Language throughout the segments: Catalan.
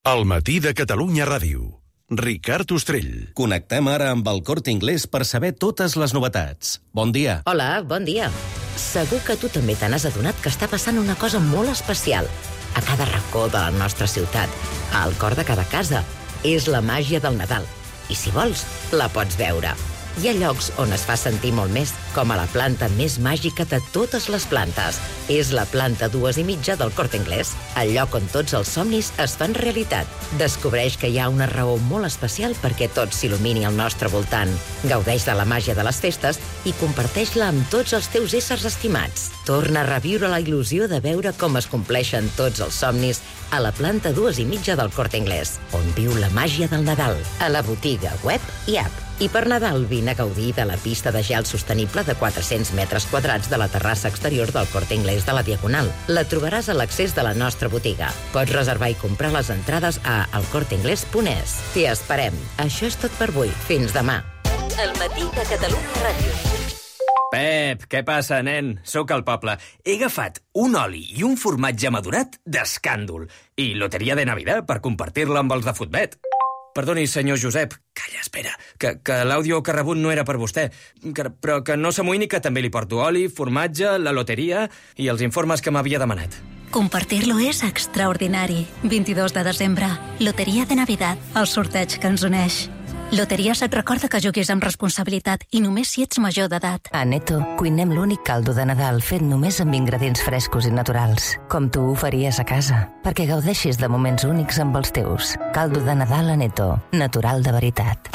El matí de Catalunya Ràdio. Ricard Ostrell. Connectem ara amb el Corte Inglés per saber totes les novetats. Bon dia. Hola, bon dia. Segur que tu també te n'has adonat que està passant una cosa molt especial. A cada racó de la nostra ciutat, al cor de cada casa. És la màgia del Nadal. I si vols, la pots veure. Hi ha llocs on es fa sentir molt més, com a la planta més màgica de totes les plantes. És la planta 2,5 del Corte Inglés, el lloc on tots els somnis es fan realitat. Descobreix que hi ha una raó molt especial perquè tot s'il·lumini al nostre voltant. Gaudeix de la màgia de les festes i comparteix-la amb tots els teus éssers estimats. Torna a reviure la il·lusió de veure com es compleixen tots els somnis a la planta 2,5 del Corte Inglés, on viu la màgia del Nadal, a la botiga, web i app. I per Nadal vine a gaudir de la pista de gel sostenible de 400 metres quadrats de la terrassa exterior del Corte Inglés de la Diagonal. La trobaràs a l'accés de la nostra botiga. Pots reservar i comprar les entrades a elcorteingles.es. T'hi esperem. Això és tot per avui. Fins demà. El matí de Catalunya Ràdio. Pep, què passa, nen? Sóc al poble. He agafat un oli i un formatge madurat d'escàndol. I loteria de Navidad per compartir-la amb els de Futbet. Perdoni, senyor Josep. Calla, espera, que l'àudio que ha rebut no era per vostè. Però que no s'amoïni, que també li porto oli, formatge, la loteria i els informes que m'havia demanat. Compartir-lo és extraordinari. 22 de desembre, Loteria de Navidad, el sorteig que ens uneix. Loteries et recorda que juguis amb responsabilitat i només si ets major d'edat. A Neto cuinem l'únic caldo de Nadal fet només amb ingredients frescos i naturals, com tu ho faries a casa, perquè gaudeixis de moments únics amb els teus. Caldo de Nadal a Neto, natural de veritat.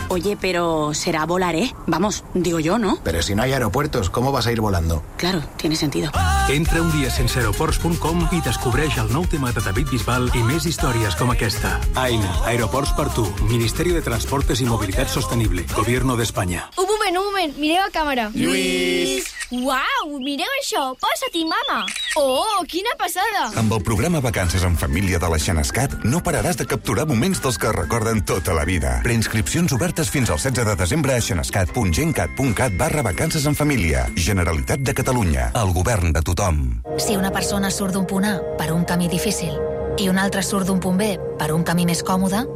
Oye, pero será volar, ¿eh? Vamos, digo yo, ¿no? Pero si no hay aeropuertos, ¿cómo vas a ir volando? Claro, tiene sentido. Entra un dia sense aeroports.com i descobreix el nou tema de David Bisbal i més històries com aquesta. AINA, Aeroports per tu, Ministerio de Transportes y Movilidad Sostenible, Gobierno de España. Un moment, mireu a càmera. Lluís! Uau, mireu això, posa-t'hi, mama. Oh, quina passada. Amb el programa Vacances en Família de la Xenescat no pararàs de capturar moments dels que recorden tota la vida. Preinscripcions obertes fins al 16 de desembre a xenescat.gencat.cat/vacances en família. Generalitat de Catalunya, el govern de tothom. Si una persona surt d'un punt A per un camí difícil i una altra surt d'un punt B per un camí més còmode,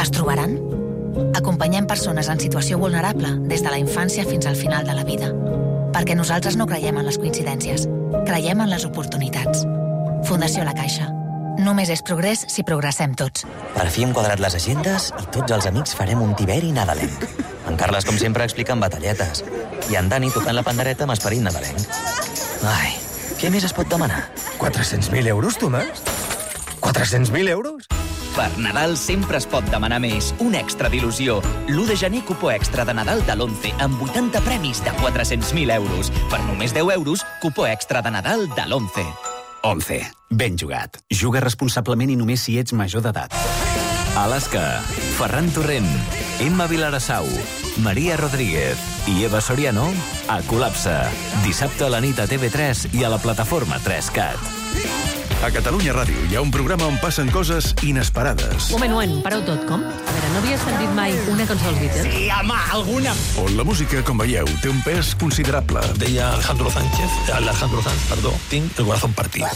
es trobaran? Acompanyem persones en situació vulnerable des de la infància fins al final de la vida. Perquè nosaltres no creiem en les coincidències. Creiem en les oportunitats. Fundació La Caixa. Només és progrés si progressem tots. Per fi hem quadrat les agendes i tots els amics farem un tiberi nadalenc. En Carles, com sempre, explica en batalletes. I en Dani tocant la pandereta amb esperit nadalenc. Ai, què més es pot demanar? 400.000 euros, Tomàs? 400.000 euros? Per Nadal sempre es pot demanar més. Un extra d'il·lusió. L'1 de gener, cupó extra de Nadal de l'11 amb 80 premis de 400.000 euros. Per només 10 euros, cupó extra de Nadal de l'11. 11. Ben jugat. Juga responsablement i només si ets major d'edat. Alaska, Ferran Torrent, Emma Vilarassau, Maria Rodríguez i Eva Soriano a Col·lapse. Dissabte a la nit a TV3 i a la plataforma 3CAT. A Catalunya Ràdio hi ha un programa on passen coses inesperades. Moment, pareu tot, com? A veure, no havies sentit mai una cançó dels Beatles? Sí, home, alguna. On la música, com veieu, té un pes considerable. Deia Alejandro Sanz, tinc el corazón partido.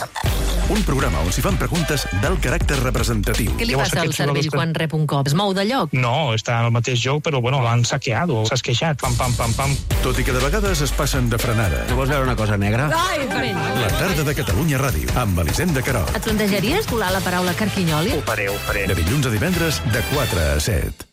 Un programa on s'hi fan preguntes d'alt caràcter representatiu. Què li passa al cervell quan rep un cop? Es mou de lloc? No, està en el mateix lloc, però bueno, l'han saqueat, s'ha esqueixat, pam. Tot i que de vegades es passen de frenada. Tu vols veure una cosa negra? Ai, La tarda de Catalunya Ràdio, amb Elisenda Querol. et plantejaries colar la paraula carquinyoli? Ho faré. De dilluns a divendres, de 4 a 7.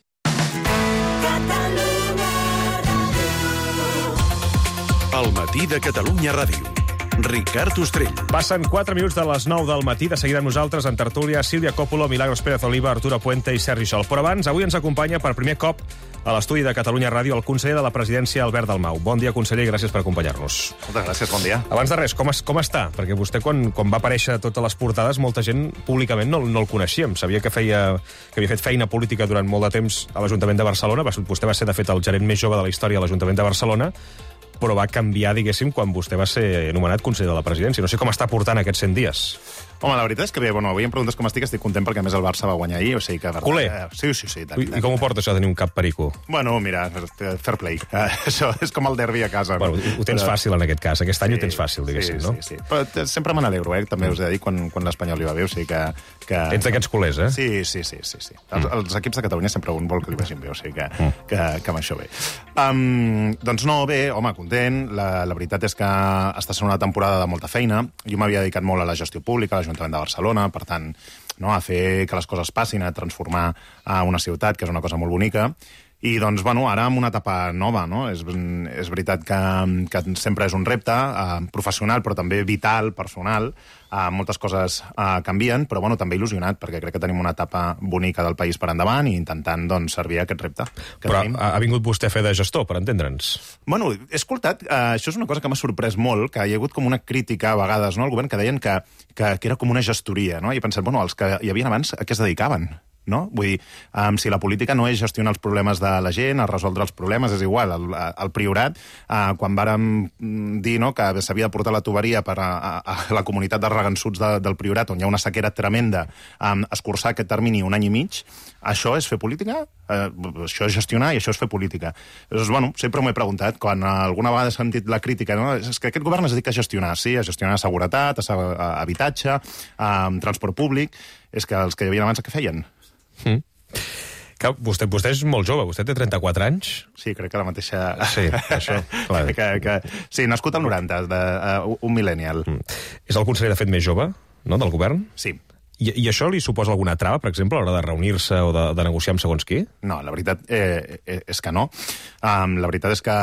El matí de Catalunya Ràdio. Ricard Ostrell. Passen 4 minuts de les 9 del matí. De seguida amb nosaltres en tertúlia Sílvia Coppola, Milagros Pérez Oliva, Arturo Puente i Sergi Sol. Però abans, avui ens acompanya per primer cop a l'estudi de Catalunya Ràdio el conseller de la presidència, Albert Dalmau. Bon dia, conseller, i gràcies per acompanyar-nos. Moltes gràcies, bon dia. Abans de res, com està? Perquè vostè, quan va aparèixer a totes les portades, molta gent públicament no el coneixíem. Sabia que havia fet feina política durant molt de temps a l'Ajuntament de Barcelona. Vostè va ser, de fet, el gerent més jove de la història de l'Ajuntament de Barcelona, però va canviar, diguéssim, quan vostè va ser nomenat conseller de la presidència. No sé com està portant aquests 100 dies. Home, la veritat és que bé, avui em preguntes com estic content perquè a més el Barça va guanyar ahir, o sigui que... Culer. Sí. I com ho porta això de tenir un cap perico? Bueno, mira, fair play. Això és com el derbi a casa. Bueno, ho tens fàcil en aquest cas. Aquest any ho tens fàcil, diguéssim, no? Sí. Però sempre me n'alegro, també us he de dir, quan l'Espanyol li va bé, o sigui que... Ets d'aquests culers, eh? Sí. Els equips de Catalunya sempre un vol que li vagin bé, o sigui que amb això bé. Doncs no, bé, home, content. La veritat és que està sent una temporada de molta feina. Jo m'havia dedicat molt a la gestió pública, a l'Ajuntament de Barcelona, per tant, a fer que les coses passin, a transformar una ciutat, que és una cosa molt bonica. I, doncs, ara amb una etapa nova, no? És veritat que sempre és un repte professional, però també vital, personal. Moltes coses canvien, però, també il·lusionat, perquè crec que tenim una etapa bonica del país per endavant i intentant, servir a aquest repte. Però ha vingut vostè a fer de gestor, per entendre'ns. Bueno, he escoltat, això és una cosa que m'ha sorprès molt, que hi ha hagut com una crítica a vegades, no?, al govern, que deien que era com una gestoria, no? I he pensat, els que hi havia abans, a què es dedicaven? No? Vull dir, si la política no és gestionar els problemes de la gent, a resoldre els problemes, és igual. El Priorat, quan vàrem dir que s'havia de portar la tuberia per a la comunitat de regansuts del Priorat, on hi ha una sequera tremenda, escurçar aquest termini 1 any i mig, això és fer política? Això és gestionar i això és fer política. Llavors, sempre m'ho he preguntat, quan alguna vegada he sentit la crítica, no? És que aquest govern es dedica a gestionar, sí, a gestionar seguretat, a habitatge, transport públic. És que els que hi havia abans, què feien? Vostè és molt jove, vostè té 34 anys. Sí, crec que la mateixa... Sí, això, clar. Sí, nascut al 90, un millennial. És el conseller, de fet, més jove, no?, del govern? Sí. I això li suposa alguna trava, per exemple, a l'hora de reunir-se o de negociar amb segons qui? No, la veritat és que no. La veritat és que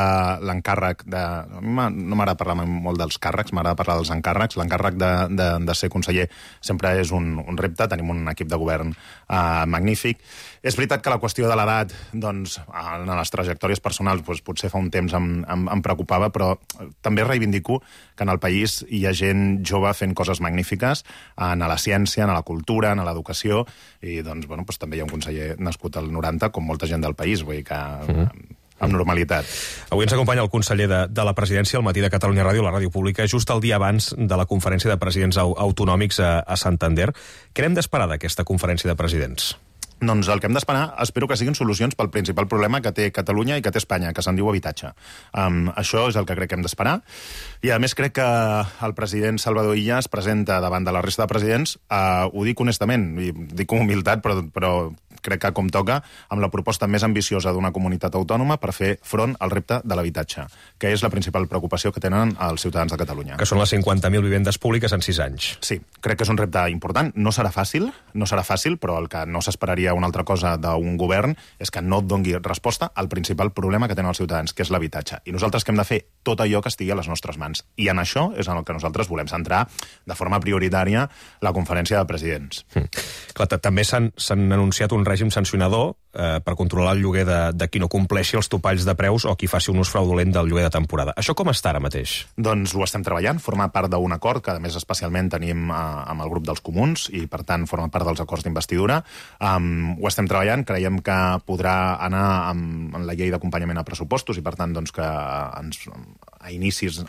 l'encàrrec de... A mi no m'agrada parlar molt dels càrrecs, m'agrada parlar dels encàrrecs. L'encàrrec de ser conseller sempre és un repte, tenim un equip de govern magnífic. És veritat que la qüestió de l'edat, doncs, en les trajectòries personals, potser fa un temps em preocupava, però també reivindico que en el país hi ha gent jove fent coses magnífiques, en la ciència, en la cultura, en l'educació, i doncs, també hi ha un conseller nascut al 90, com molta gent del país, vull dir que... amb normalitat. Avui ens acompanya el conseller de la presidència al matí de Catalunya Ràdio, la ràdio pública, just el dia abans de la conferència de presidents autonòmics a Santander. Què n'hem d'esperar d'aquesta conferència de presidents? Doncs el que hem d'esperar, espero que siguin solucions pel principal problema que té Catalunya i que té Espanya, que se'n diu habitatge. Això és el que crec que hem d'esperar. I a més crec que el president Salvador Illa es presenta davant de la resta de presidents, ho dic honestament, i dic amb humilitat, però crec que com toca, amb la proposta més ambiciosa d'una comunitat autònoma per fer front al repte de l'habitatge, que és la principal preocupació que tenen els ciutadans de Catalunya. Que són les 50.000 vivendes públiques en 6 anys. Sí, crec que és un repte important. No serà fàcil, però el que no s'esperaria una altra cosa d'un govern és que no et doni resposta al principal problema que tenen els ciutadans, que és l'habitatge. I nosaltres que hem de fer tot allò que estigui a les nostres mans. I en això és en el que nosaltres volem centrar de forma prioritària la conferència de presidents. Clar, també s'han anunciat un règim sancionador per controlar el lloguer de qui no compleixi els topalls de preus o qui faci un ús fraudulent del lloguer de temporada. Això com està ara mateix? Doncs ho estem treballant, forma part d'un acord que a més especialment tenim amb el grup dels comuns i per tant forma part dels acords d'investidura. Ho estem treballant, creiem que podrà anar en la llei d'acompanyament a pressupostos i per tant doncs, que a inicis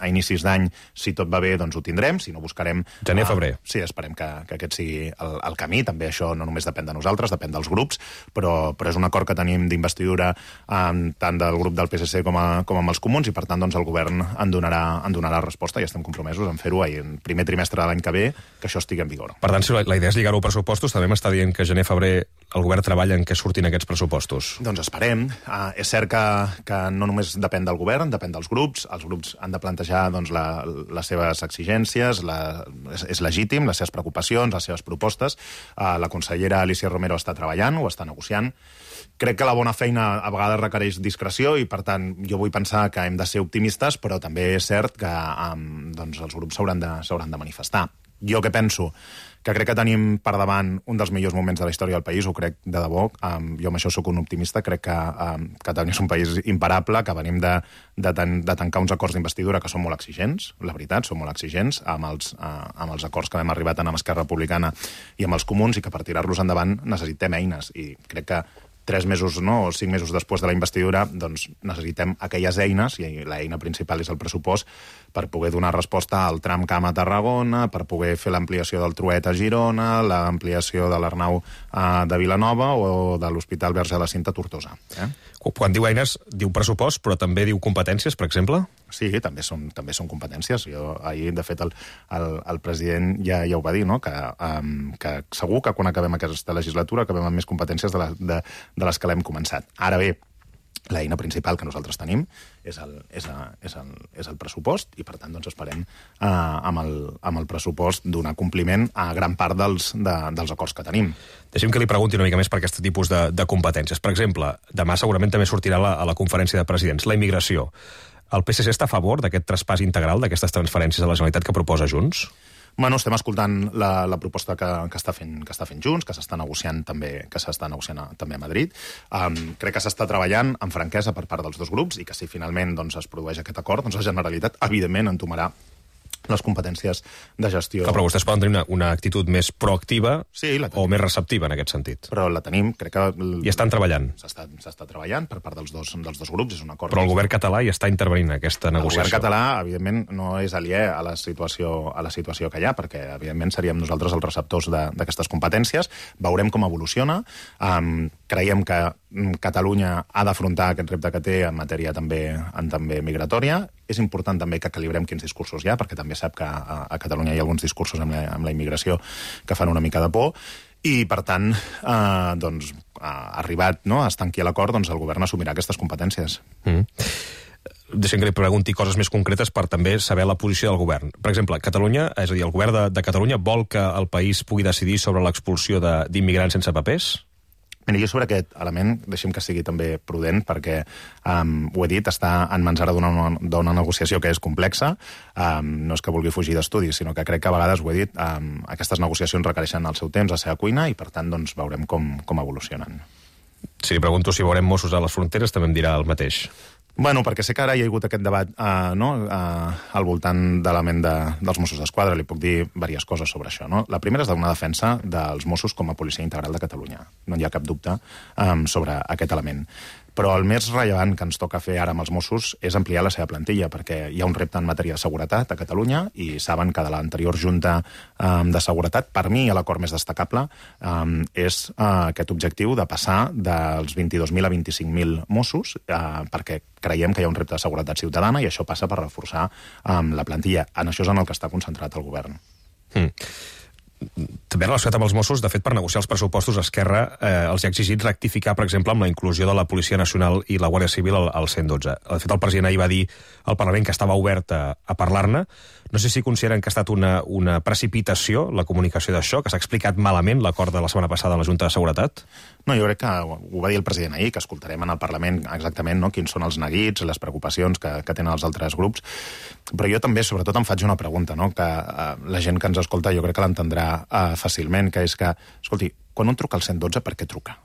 d'any, si tot va bé, doncs ho tindrem, si no buscarem... Gener-febrer. Sí, esperem que aquest sigui el camí, també això no només depèn de nosaltres, depèn dels grups, però és un acord que tenim d'investidura tant del grup del PSC com amb els comuns i per tant doncs, el govern en donarà resposta i estem compromesos en fer-ho en primer trimestre de l'any que ve, que això estigui en vigor. Per tant, si la idea és lligar-ho a pressupostos, també m'està dient que gener-febrer el govern treballa en què surtin aquests pressupostos. Doncs esperem. És cert que no només depèn del govern, depèn dels grups. Els grups han de plantejar doncs, les seves exigències, és legítim, les seves preocupacions, les seves propostes. La consellera Alícia Romero està treballant, ho està negociant. Crec que la bona feina a vegades requereix discreció i, per tant, jo vull pensar que hem de ser optimistes, però també és cert que doncs, els grups s'hauran de manifestar. Jo que penso que crec que tenim per davant un dels millors moments de la història del país, ho crec de debò, jo amb això sóc un optimista, crec que Catalunya és un país imparable, que venim de tancar uns acords d'investidura que són molt exigents, la veritat, són molt exigents, amb els acords que hem arribat amb Esquerra Republicana i amb els comuns, i que per tirar-los endavant necessitem eines, i crec que 3 mesos o 5 mesos després de la investidura, doncs necessitem aquelles eines, i l'eina principal és el pressupost, per poder donar resposta al tram Camp a Tarragona, per poder fer l'ampliació del Truet a Girona, l'ampliació de l'Arnau de Vilanova o de l'Hospital Verge de la Cinta a Tortosa. Quan diu eines, diu pressupost, però també diu competències, per exemple? Sí, també són competències. Ahir, de fet, el president ja ho va dir, no? Que segur que quan acabem aquesta legislatura acabem amb més competències de les que l'hem començat. Ara bé, l'eina principal que nosaltres tenim és el pressupost i, per tant, doncs esperem amb el pressupost donar compliment a gran part dels acords que tenim. Deixem que li pregunti una mica més per aquest tipus de competències. Per exemple, demà segurament també sortirà a la conferència de presidents la immigració. El PSC està a favor d'aquest traspàs integral, d'aquestes transferències a la Generalitat que proposa Junts? Bueno, estem escoltant la proposta que està fent Junts, que s'està negociant també a Madrid. Crec que s'està treballant amb franquesa per part dels dos grups i que si finalment es produeix aquest acord, doncs la Generalitat, evidentment, entomarà les competències de gestió. Però vostès poden tenir una actitud més proactiva o més receptiva en aquest sentit. Però la tenim, crec que... I estan treballant. S'està treballant per part dels dos grups, és un acord... Però el govern català hi està intervenint en aquesta negociació. El govern català, evidentment, no és aliè a la situació que hi ha, perquè, evidentment, seríem nosaltres els receptors d'aquestes competències. Veurem com evoluciona. Creiem que Catalunya ha d'afrontar aquest repte que té en matèria també migratòria. És important també que calibrem quins discursos hi ha, perquè també sap que a Catalunya hi ha alguns discursos amb la immigració que fan una mica de por. I, per tant, arribat a estanquir l'acord, el govern assumirà aquestes competències. Deixem que li pregunti coses més concretes per també saber la posició del govern. Per exemple, Catalunya, és a dir, el govern de Catalunya vol que el país pugui decidir sobre l'expulsió d'immigrants sense papers? Mira, jo sobre aquest element, deixem que sigui també prudent, perquè, ho he dit, està en mans ara d'una negociació que és complexa. No és que vulgui fugir d'estudis, sinó que crec que a vegades, ho he dit, aquestes negociacions requereixen el seu temps, la seva cuina, i per tant veurem com evolucionen. Si li pregunto si veurem Mossos a les fronteres, també em dirà el mateix. Bueno, perquè sé que ara hi ha hagut aquest debat al voltant de l'element dels Mossos d'Esquadra. Li puc dir diverses coses sobre això. La primera és donar defensa dels Mossos com a policia integral de Catalunya. No hi ha cap dubte sobre aquest element. Però el més rellevant que ens toca fer ara amb els Mossos és ampliar la seva plantilla, perquè hi ha un repte en matèria de seguretat a Catalunya i saben que de l'anterior Junta de Seguretat, per mi l'acord més destacable és aquest objectiu de passar dels 22.000 a 25.000 Mossos, perquè creiem que hi ha un repte de seguretat ciutadana i això passa per reforçar la plantilla. En això és en el que està concentrat el govern. També relacionat amb els Mossos, de fet, per negociar els pressupostos, Esquerra els ha exigit rectificar, per exemple, amb la inclusió de la Policia Nacional i la Guàrdia Civil al 112. De fet, el president ahir va dir al Parlament que estava obert a parlar-ne. No sé si consideren que ha estat una precipitació la comunicació d'això, que s'ha explicat malament l'acord de la setmana passada a la Junta de Seguretat? No, jo crec que ho va dir el president ahir, que escoltarem en el Parlament exactament quins són els neguits, les preocupacions que tenen els altres grups. Però jo també, sobretot, em faig una pregunta, que la gent que ens escolta jo crec que l'entendrà fàcilment, que és que, escolti, quan un truca al 112, per què truca?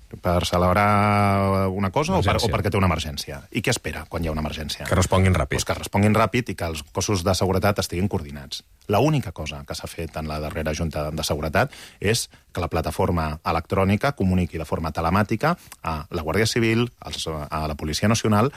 Per celebrar una cosa o perquè té una emergència? I què espera quan hi ha una emergència? Que responguin ràpid. Que responguin ràpid i que els cossos de seguretat estiguin coordinats. L'única cosa que s'ha fet en la darrera Junta de Seguretat és que la plataforma electrònica comuniqui de forma telemàtica a la Guàrdia Civil, a la Policia Nacional,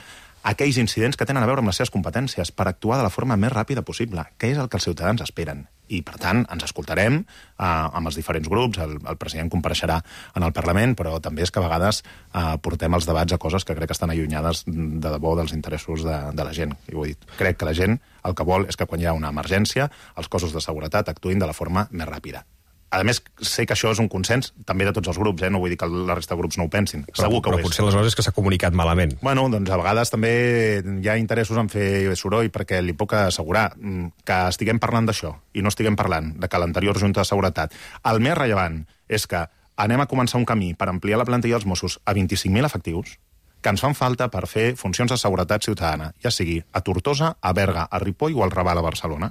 aquells incidents que tenen a veure amb les seves competències per actuar de la forma més ràpida possible, que és el que els ciutadans esperen. I, per tant, ens escoltarem amb els diferents grups, el president compareixerà en el Parlament, però també és que a vegades portem els debats a coses que crec que estan allunyades de debò dels interessos de la gent. I ho he dit. Crec que la gent el que vol és que quan hi ha una emergència els cossos de seguretat actuïn de la forma més ràpida. A més, sé que això és un consens també de tots els grups, no vull dir que la resta de grups no ho pensin. Segur que ho és. Però potser aleshores és que s'ha comunicat malament. Bueno, doncs a vegades també hi ha interessos en fer soroll, perquè li puc assegurar que estiguem parlant d'això i no estiguem parlant de que l'anterior Junta de Seguretat... El més rellevant és que anem a començar un camí per ampliar la plantilla dels Mossos a 25.000 efectius que ens fan falta per fer funcions de seguretat ciutadana, ja sigui a Tortosa, a Berga, a Ripoll o al Raval a Barcelona.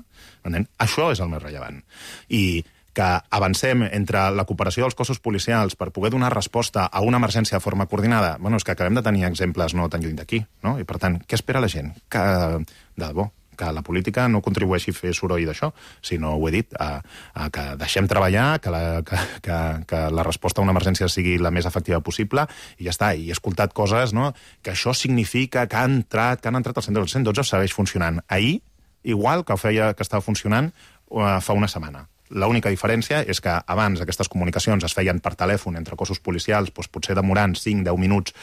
Això és el més rellevant. I que avancem entre la cooperació dels cossos policials per poder donar resposta a una emergència de forma coordinada, és que acabem de tenir exemples no tan lluny d'aquí, no? I per tant, què espera la gent? De debò, que la política no contribueixi a fer soroll d'això, sinó, ho he dit, que deixem treballar, que la resposta a una emergència sigui la més efectiva possible, i ja està. I he escoltat coses, no?, que això significa que han entrat al 112. El 112 segueix funcionant. Ahir, igual que estava funcionant fa una setmana. L'única diferència és que abans aquestes comunicacions es feien per telèfon entre cossos policials, doncs potser demorant 5-10 minuts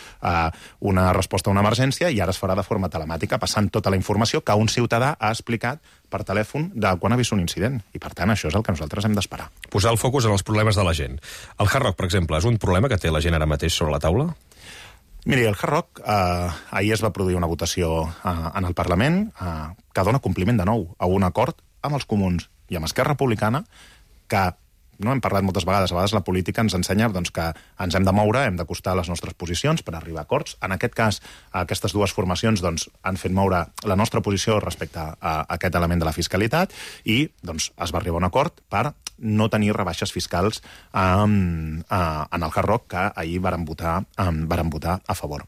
una resposta a una emergència, i ara es farà de forma telemàtica, passant tota la informació que un ciutadà ha explicat per telèfon de quan ha vist un incident. I, per tant, això és el que nosaltres hem d'esperar. Posar el focus en els problemes de la gent. El Hard Rock, per exemple, és un problema que té la gent ara mateix sobre la taula? Miri, el Hard Rock, ahir es va produir una votació en el Parlament que dona compliment de nou a un acord amb els comuns i amb Esquerra Republicana, que no hem parlat moltes vegades, a vegades la política ens ensenya doncs, que ens hem de moure, hem d'acostar les nostres posicions per arribar a acords. En aquest cas, aquestes dues formacions doncs, han fet moure la nostra posició respecte a aquest element de la fiscalitat, i doncs, es va arribar a un acord per no tenir rebaixes fiscals en el Hard Rock, que ahir varen votar a favor.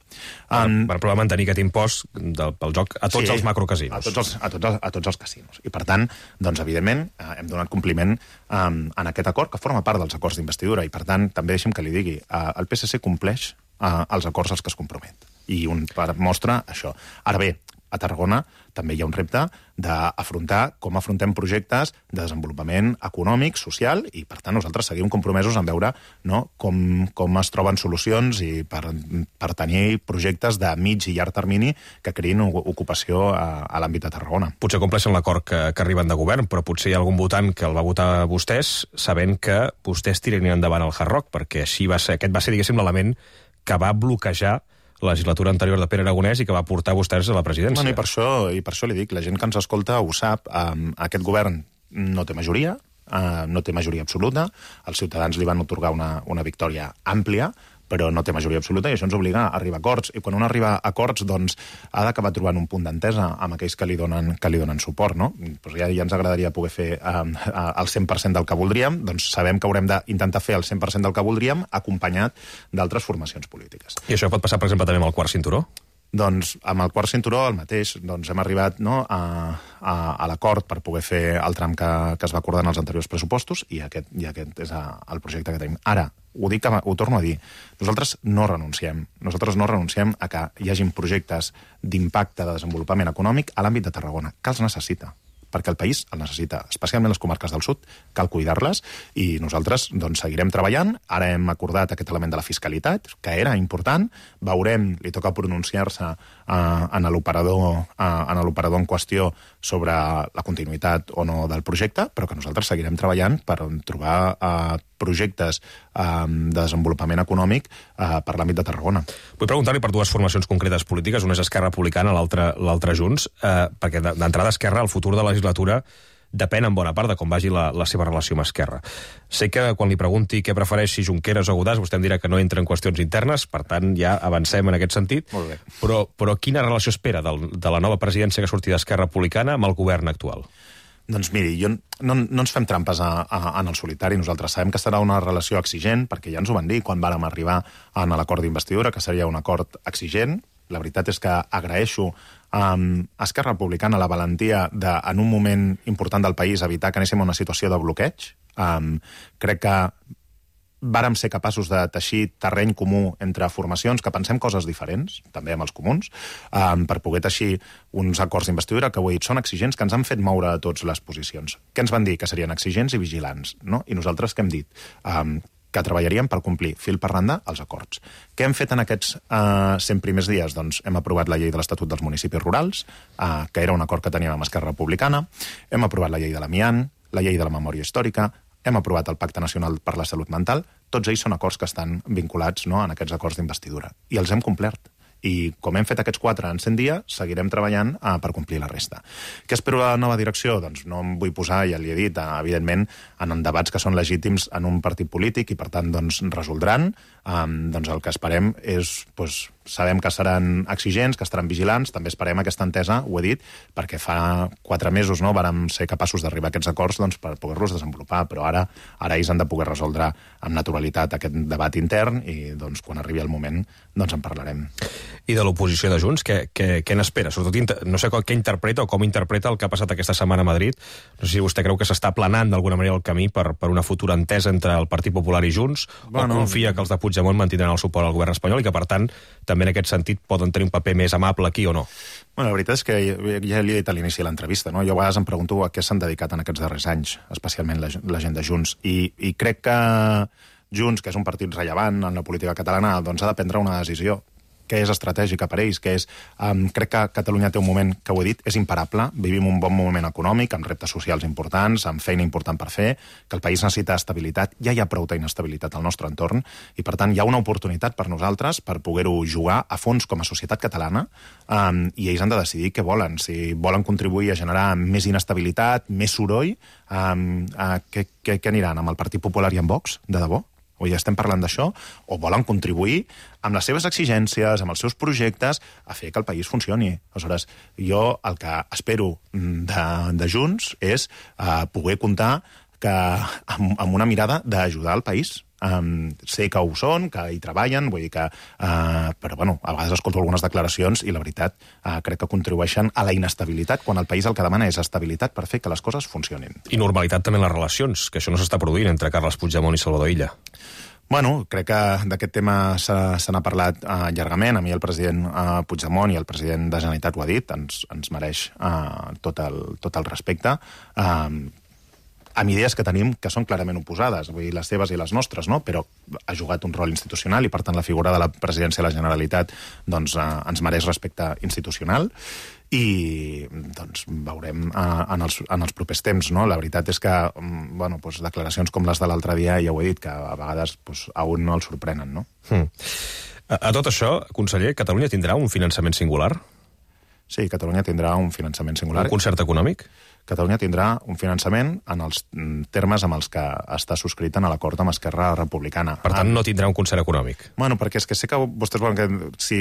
Per provar mantenir aquest impost pel joc a tots els macrocasinos. A tots els casinos. I, per tant, doncs, evidentment, hem donat compliment en aquest acord, que forma part dels acords d'investidura, i, per tant, també deixem que li digui, el PSC compleix els acords als que es compromet. I mostra això. Ara bé, a Tarragona també hi ha un repte d'afrontar com afrontem projectes de desenvolupament econòmic, social, i, per tant, nosaltres seguim compromesos en veure com es troben solucions i per tenir projectes de mig i llarg termini que creïn ocupació a l'àmbit de Tarragona. Potser compleixen l'acord que arriben de govern, però potser hi ha algun votant que el va votar a vostès sabent que vostès tirarien endavant el Hard Rock, perquè aquest va ser, diguéssim, l'element que va bloquejar la legislatura anterior de Pere Aragonès i que va portar vostès a la presidència. Bueno, i per això li dic, la gent que ens escolta ho sap, aquest govern no té majoria absoluta, els ciutadans li van otorgar una victòria àmplia, però no té majoria absoluta, i això ens obliga a arribar a acords. I quan un arriba a acords, doncs, ha d'acabar trobant un punt d'entesa amb aquells que li donen suport, no? Pues ja ens agradaria poder fer el 100% del que voldríem, doncs sabem que haurem d'intentar fer el 100% del que voldríem, acompanyat d'altres formacions polítiques. I això pot passar, per exemple, també amb el quart cinturó? Doncs amb el quart cinturó el mateix. Doncs hem arribat a l'acord per poder fer el tram que es va acordar en els anteriors pressupostos, i aquest és el projecte que tenim. Ara, ho torno a dir, nosaltres no renunciem a que hi hagin projectes d'impacte de desenvolupament econòmic a l'àmbit de Tarragona, que els necessita, perquè el país el necessita, especialment les comarques del sud, cal cuidar-les, i nosaltres doncs, seguirem treballant. Ara hem acordat aquest element de la fiscalitat, que era important, veurem, li toca pronunciar-se en l'operador en qüestió sobre la continuïtat o no del projecte, però que nosaltres seguirem treballant per trobar projectes de desenvolupament econòmic per l'àmbit de Tarragona. Vull preguntar-li per dues formacions concretes polítiques, una és Esquerra Republicana, l'altra Junts, perquè d'entrada Esquerra, el futur de la legislatura depèn en bona part de com vagi la seva relació amb Esquerra. Sé que quan li pregunti què prefereix, si Junqueras o Godàs, vostè em dirà que no entra en qüestions internes, per tant ja avancem en aquest sentit. Molt bé. Però quina relació espera de la nova presidència que surti d'Esquerra Republicana amb el govern actual? Doncs miri, no ens fem trampes en el solitari. Nosaltres sabem que serà una relació exigent, perquè ja ens ho van dir quan vàrem arribar a l'acord d'investidura, que seria un acord exigent. La veritat és que agraeixo a Esquerra Republicana la valentia de, en un moment important del país, evitar que anéssim a una situació de bloqueig. Crec que vàrem ser capaços de teixir terreny comú entre formacions que pensem coses diferents, també amb els comuns, per poder teixir uns acords d'investidura que, ho he dit, són exigents, que ens han fet moure a tots les posicions. Què ens van dir? Que serien exigents i vigilants, no? I nosaltres què hem dit? Que treballaríem per complir fil per randa els acords. Què hem fet en aquests 100 primers dies? Doncs hem aprovat la llei de l'Estatut dels Municipis Rurals, que era un acord que teníem amb Esquerra Republicana, hem aprovat la llei de l'amiant, la llei de la memòria històrica, hem aprovat el Pacte Nacional per la Salut Mental. Tots ells són acords que estan vinculats, no, en aquests acords d'investidura. I els hem complert. I com hem fet aquests 4 en 100 dies, seguirem treballant per complir la resta. Què espero a la nova direcció? Doncs no em vull posar, ja li he dit, evidentment, en debats que són legítims en un partit polític i, per tant, doncs, resoldran. Doncs el que esperem és... Sabem que seran exigents, que estaran vigilants, també esperem aquesta entesa, ho he dit, perquè fa 4 mesos no, vàrem ser capaços d'arribar a aquests acords doncs, per poder-los desenvolupar, però ara ells han de poder resoldre amb naturalitat aquest debat intern i doncs, quan arribi el moment doncs en parlarem. i de l'oposició de Junts. Què n'espera? Sobretot, no sé què interpreta o com interpreta el que ha passat aquesta setmana a Madrid. No sé si vostè creu que s'està planant d'alguna manera el camí per una futura entesa entre el Partit Popular i Junts, o confia que els de Puigdemont mantindran el suport al govern espanyol i que, per tant, també en aquest sentit poden tenir un paper més amable aquí o no? Bueno, la veritat és que ja li he dit a l'inici de l'entrevista, no? Jo a vegades em pregunto a què s'han dedicat en aquests darrers anys, especialment la gent de Junts, i crec que Junts, que és un partit rellevant en la política catalana, doncs ha de prendre una decisió que és estratègica per ells, que és... crec que Catalunya té un moment, que ho he dit, és imparable. Vivim un bon moment econòmic, amb reptes socials importants, amb feina important per fer, que el país necessita estabilitat. Ja hi ha prou d'inestabilitat al nostre entorn, i per tant hi ha una oportunitat per nosaltres per poder-ho jugar a fons com a societat catalana, i ells han de decidir què volen. Si volen contribuir a generar més inestabilitat, més soroll, què aniran? Amb el Partit Popular i amb Vox? De debò? O ja estem parlant d'això, o volen contribuir amb les seves exigències, amb els seus projectes, a fer que el país funcioni. Aleshores, jo el que espero de Junts és poder comptar amb una mirada d'ajudar el país. Sé que ho són, que hi treballen, vull dir que... però, bueno, a vegades escolto algunes declaracions i, la veritat, crec que contribueixen a la inestabilitat, quan el país el que demana és estabilitat per fer que les coses funcionin. I normalitat també en les relacions, que això no s'està produint entre Carles Puigdemont i Salvador Illa. Bueno, crec que d'aquest tema se n'ha parlat llargament. A mi el president Puigdemont i el president de Generalitat ho ha dit, ens mereix tot el respecte. Amb idees que tenim que són clarament oposades, vull dir, les seves i les nostres, no? Però ha jugat un rol institucional i, per tant, la figura de la presidència de la Generalitat doncs, ens mereix respecte institucional i doncs, veurem en els propers temps. No? La veritat és que bueno, doncs, declaracions com les de l'altre dia, ja ho he dit, que a vegades doncs, a un no el sorprenen. No? A tot això, conseller, Catalunya tindrà un finançament singular? Sí, Catalunya tindrà un finançament singular. Un concert econòmic? Catalunya tindrà un finançament en els termes amb els que està subscrit en l'acord amb Esquerra Republicana. Per tant, no tindrà un concert econòmic? Bueno, perquè és que sé que vostès volen que... Si,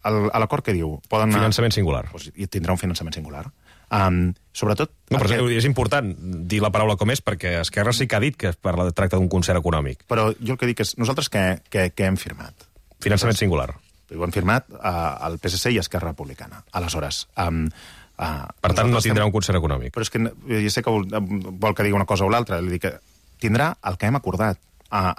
a l'acord què diu? Poden finançament singular. Doncs, i tindrà un finançament singular. Sobretot... No, però és important dir la paraula com és, perquè Esquerra sí que ha dit que tracta d'un concert econòmic. Però jo el que dic és, nosaltres què hem firmat? Finançament singular. Ho hem firmat el PSC i Esquerra Republicana. Aleshores... per tant, no tindrà un concert econòmic. Però és que jo sé que vol que digui una cosa o l'altra. Que tindrà el que hem acordat.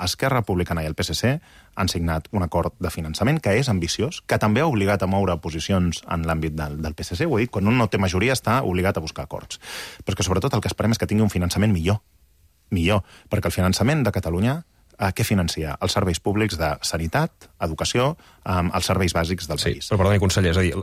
Esquerra Republicana i el PSC han signat un acord de finançament que és ambiciós, que també ha obligat a moure posicions en l'àmbit del PSC. Ho he dit, quan un no té majoria està obligat a buscar acords. Però és que sobretot el que esperem és que tingui un finançament millor. Perquè el finançament de Catalunya què financia? Els serveis públics de sanitat, educació, els serveis bàsics del país. Però perdoni, conseller, és a dir,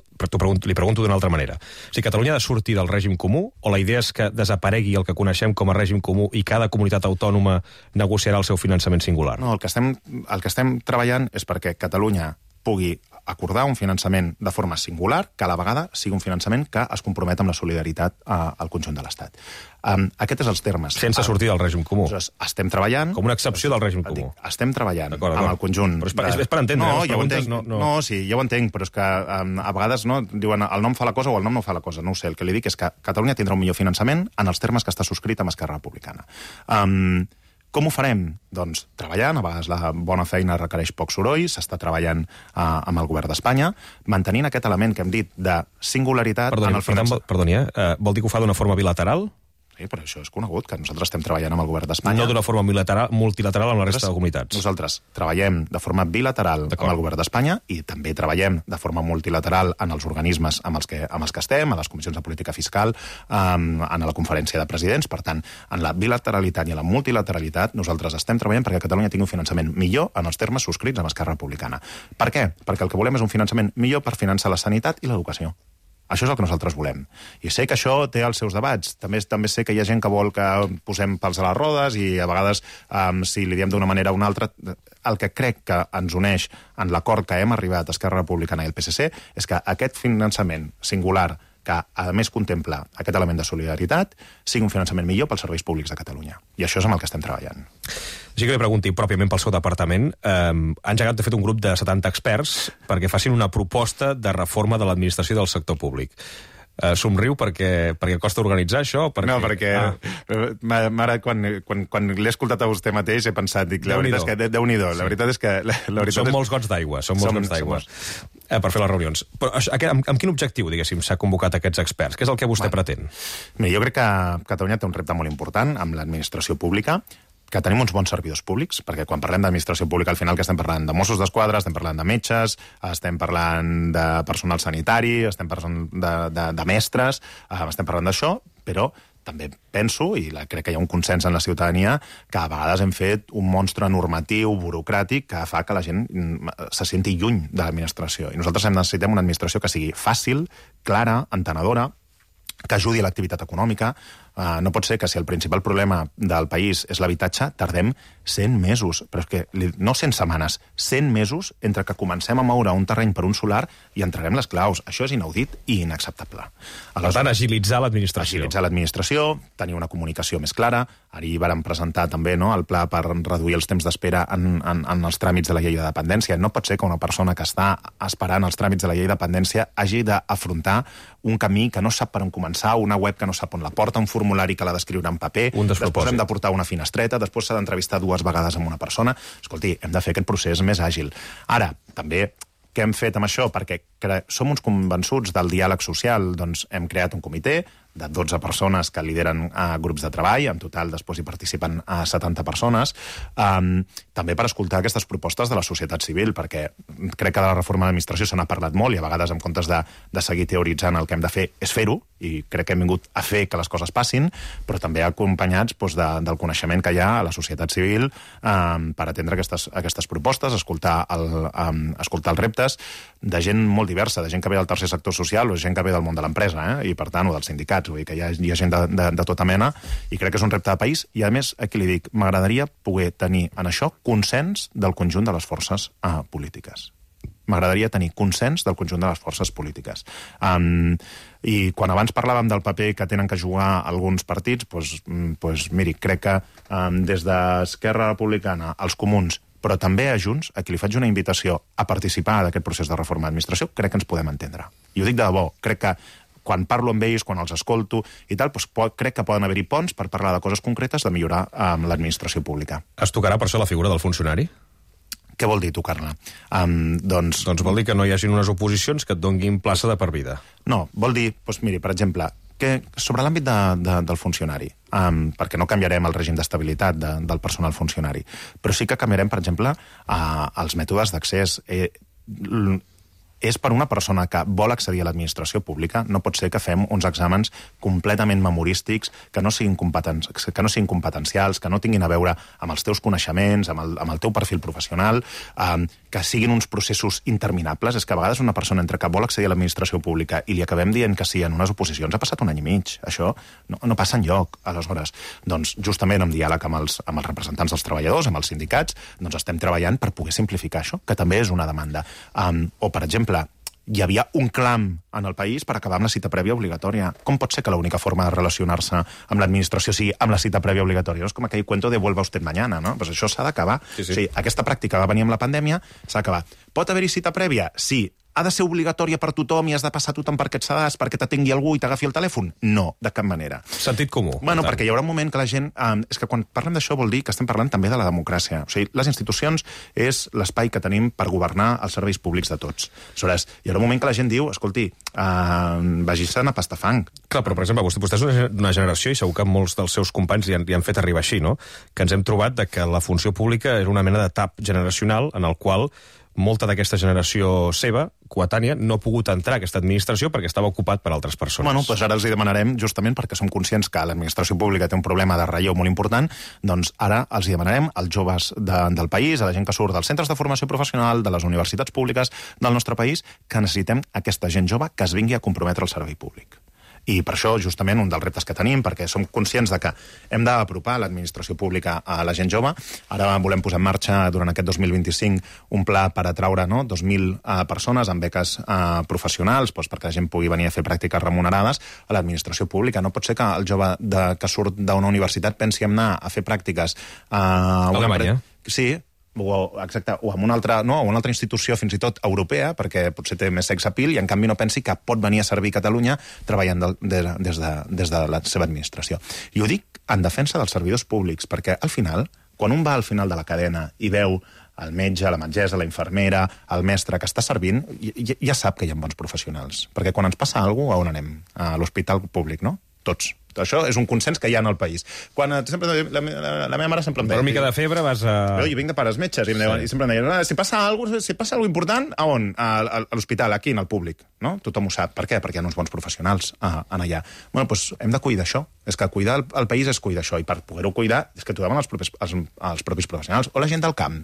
li pregunto d'una altra manera. Si Catalunya ha de sortir del règim comú, o la idea és que desaparegui el que coneixem com a règim comú i cada comunitat autònoma negociarà el seu finançament singular? No, el que estem treballant és perquè Catalunya pugui acordar un finançament de forma singular, que a la vegada sigui un finançament que es compromet amb la solidaritat al conjunt de l'Estat. Aquests són els termes. Sense sortir del règim comú. Estem treballant... Com una excepció del règim comú. Estem treballant amb el conjunt... Però és per entendre, no, ja ho entenc. No, sí, ja ho entenc, però és que a vegades diuen el nom fa la cosa o el nom no fa la cosa. No ho sé, el que li dic és que Catalunya tindrà un millor finançament en els termes que està subscrit amb Esquerra Republicana. Com ho farem? Doncs treballant, a vegades la bona feina requereix poc soroll, s'està treballant amb el govern d'Espanya, mantenint aquest element que hem dit de singularitat... Perdoni, vol dir que ho fa d'una forma bilateral? Sí, però això és conegut, que nosaltres estem treballant amb el govern d'Espanya. No d'una forma multilateral amb la resta de comunitats. Nosaltres treballem de forma bilateral amb el govern d'Espanya i també treballem de forma multilateral en els organismes amb els que estem, a les comissions de política fiscal, en la conferència de presidents. Per tant, en la bilateralitat i en la multilateralitat nosaltres estem treballant perquè Catalunya tingui un finançament millor en els termes subscrits amb Esquerra Republicana. Per què? Perquè el que volem és un finançament millor per finançar la sanitat i l'educació. Això és el que nosaltres volem. I sé que això té els seus debats. També sé que hi ha gent que vol que posem pals a les rodes i a vegades, si li diem d'una manera o una altra, el que crec que ens uneix en l'acord que hem arribat a Esquerra Republicana i el PSC és que aquest finançament singular, que a més contempla aquest element de solidaritat, sigui un finançament millor pels serveis públics de Catalunya. I això és amb el que estem treballant. Així que li pregunti pròpiament pel seu departament, han engegat de fet un grup de 70 experts perquè facin una proposta de reforma de l'administració del sector públic. Somriu perquè costa organitzar això? No, perquè mare, quan l'he escoltat a vostè mateix he pensat, dic, la veritat és que Déu-n'hi-do. La veritat és que... Són molts gots d'aigua, Per fer les reunions. Però amb quin objectiu, diguéssim, s'ha convocat aquests experts? Què és el que vostè pretén? Mira, jo crec que Catalunya té un repte molt important amb l'administració pública, que tenim uns bons servidors públics, perquè quan parlem d'administració pública al final que estem parlant de Mossos d'Esquadra, estem parlant de metges, estem parlant de personal sanitari, estem parlant de mestres, estem parlant d'això, però també penso, i crec que hi ha un consens en la ciutadania, que a vegades hem fet un monstre normatiu, burocràtic, que fa que la gent se senti lluny de l'administració. I nosaltres necessitem una administració que sigui fàcil, clara, entenedora, que ajudi a l'activitat econòmica. No pot ser que si el principal problema del país és l'habitatge, tardem 100 mesos, però és que no 100 setmanes, 100 mesos entre que comencem a moure un terreny per un solar i entreguem les claus. Això és inaudit i inacceptable. Per tant, agilitzar l'administració. Agilitzar l'administració, tenir una comunicació més clara. Ahir vàrem presentar també el pla per reduir els temps d'espera en els tràmits de la llei de dependència. No pot ser que una persona que està esperant els tràmits de la llei de dependència hagi d'afrontar un camí que no sap per on començar, una web que no sap on la porta, un formulari que l'ha d'escriure en paper, després hem de portar una finestreta, després s'ha d'entrevistar 2 vegades amb una persona. Escolti, hem de fer aquest procés més àgil. Ara, també, què hem fet amb això? Perquè som uns convençuts del diàleg social, doncs hem creat un comitè de 12 persones que lideren grups de treball, en total després hi participen 70 persones, també per escoltar aquestes propostes de la societat civil, perquè crec que de la reforma de l'administració se n'ha parlat molt i a vegades en comptes de seguir teoritzant el que hem de fer és fer-ho, i crec que hem vingut a fer que les coses passin, però també acompanyats del coneixement que hi ha a la societat civil per atendre aquestes propostes, escoltar els reptes de gent molt diversa, de gent que ve del tercer sector social o gent que ve del món de l'empresa, i per tant, o dels sindicats, vull dir que hi ha gent de tota mena, i crec que és un repte de país, i a més, aquí li dic, m'agradaria poder tenir en això consens del conjunt de les forces polítiques. M'agradaria tenir consens del conjunt de les forces polítiques. I quan abans parlàvem del paper que tenen que jugar alguns partits, doncs miri, crec que des d'Esquerra Republicana, els Comuns, però també a Junts, a qui li faig una invitació a participar d'aquest procés de reforma d'administració, crec que ens podem entendre. I ho dic de debò, crec que quan parlo amb ells, quan els escolto i tal, crec que poden haver-hi ponts per parlar de coses concretes de millorar l'administració pública. Es tocarà per això la figura del funcionari? Què vol dir tocar-la? Doncs vol dir que no hi hagin unes oposicions que et donguin plaça de per vida. No, vol dir, miri, per exemple, que sobre l'àmbit del funcionari, perquè no canviarem el règim d'estabilitat del personal funcionari, però sí que canviarem, per exemple, els mètodes d'accés. És per una persona que vol accedir a l'administració pública, no pot ser que fem uns exàmens completament memorístics, que no siguin competencials, que no tinguin a veure amb els teus coneixements, amb el teu perfil professional, que siguin uns processos interminables. És que a vegades una persona entre que vol accedir a l'administració pública i li acabem dient que sí en unes oposicions, ha passat 1 any i mig. Això no passa enlloc. Aleshores, doncs, justament en diàleg amb els representants dels treballadors, amb els sindicats, doncs estem treballant per poder simplificar això, que també és una demanda. O, per exemple, hi havia un clam en el país per acabar amb la cita prèvia obligatòria. Com pot ser que l'única forma de relacionar-se amb l'administració sigui amb la cita prèvia obligatòria? No és com aquell cuento de vuelva usted mañana, no? Pues això s'ha d'acabar. Sí. O sigui, aquesta pràctica va venir amb la pandèmia, s'ha d'acabar. Pot haver-hi cita prèvia? Sí. Ha de ser obligatòria per tothom i has de passar tothom per aquest sedàs perquè t'atengui algú i t'agafi el telèfon? No, de cap manera. Sentit comú. Bueno, perquè hi haurà un moment que la gent... és que quan parlem d'això vol dir que estem parlant també de la democràcia. O sigui, les institucions és l'espai que tenim per governar els serveis públics de tots. Aleshores, hi haurà un moment que la gent diu, escolti, vagi-se'n a pastar fang. Clar, però, per exemple, vostè és una generació, i segur que molts dels seus companys li han fet arribar així, no? Que ens hem trobat que la funció pública és una mena de tap generacional en el qual molta d'aquesta generació seva, coetània, no ha pogut entrar a aquesta administració perquè estava ocupat per altres persones. Bueno, doncs ara els hi demanarem, justament perquè som conscients que l'administració pública té un problema de relleu molt important, doncs ara els hi demanarem als joves del país, a la gent que surt dels centres de formació professional, de les universitats públiques del nostre país, que necessitem aquesta gent jove que es vingui a comprometre al servei públic. I per això, justament, un dels reptes que tenim, perquè som conscients de que hem d'apropar l'administració pública a la gent jove. Ara volem posar en marxa, durant aquest 2025, un pla per atraure 2.000 persones amb beques professionals, perquè la gent pugui venir a fer pràctiques remunerades a l'administració pública. No pot ser que el jove que surt d'una universitat pensi en anar a fer pràctiques a Alemanya. Sí, exacte, o amb una altra institució fins i tot europea, perquè potser té més sex appeal, i en canvi no pensi que pot venir a servir Catalunya treballant des de la seva administració. I ho dic en defensa dels servidors públics, perquè al final, quan un va al final de la cadena i veu el metge, la metgessa, la infermera, el mestre que està servint, ja sap que hi ha bons professionals. Perquè quan ens passa alguna cosa, a on anem? A l'hospital públic, no? Tots. Això és un consens que hi ha en el país. Quan sempre, la meva mare sempre em deia... Per una mica de febre vas a... Jo vinc de pares metges i sempre em deien si passa alguna important, a on? A l'hospital, aquí, en el públic. No? Tothom ho sap. Per què? Perquè hi ha uns bons professionals en allà. Bueno, doncs hem de cuidar això. És que cuidar el país és cuidar això. I per poder-ho cuidar és que trobem els propis professionals. O la gent del camp,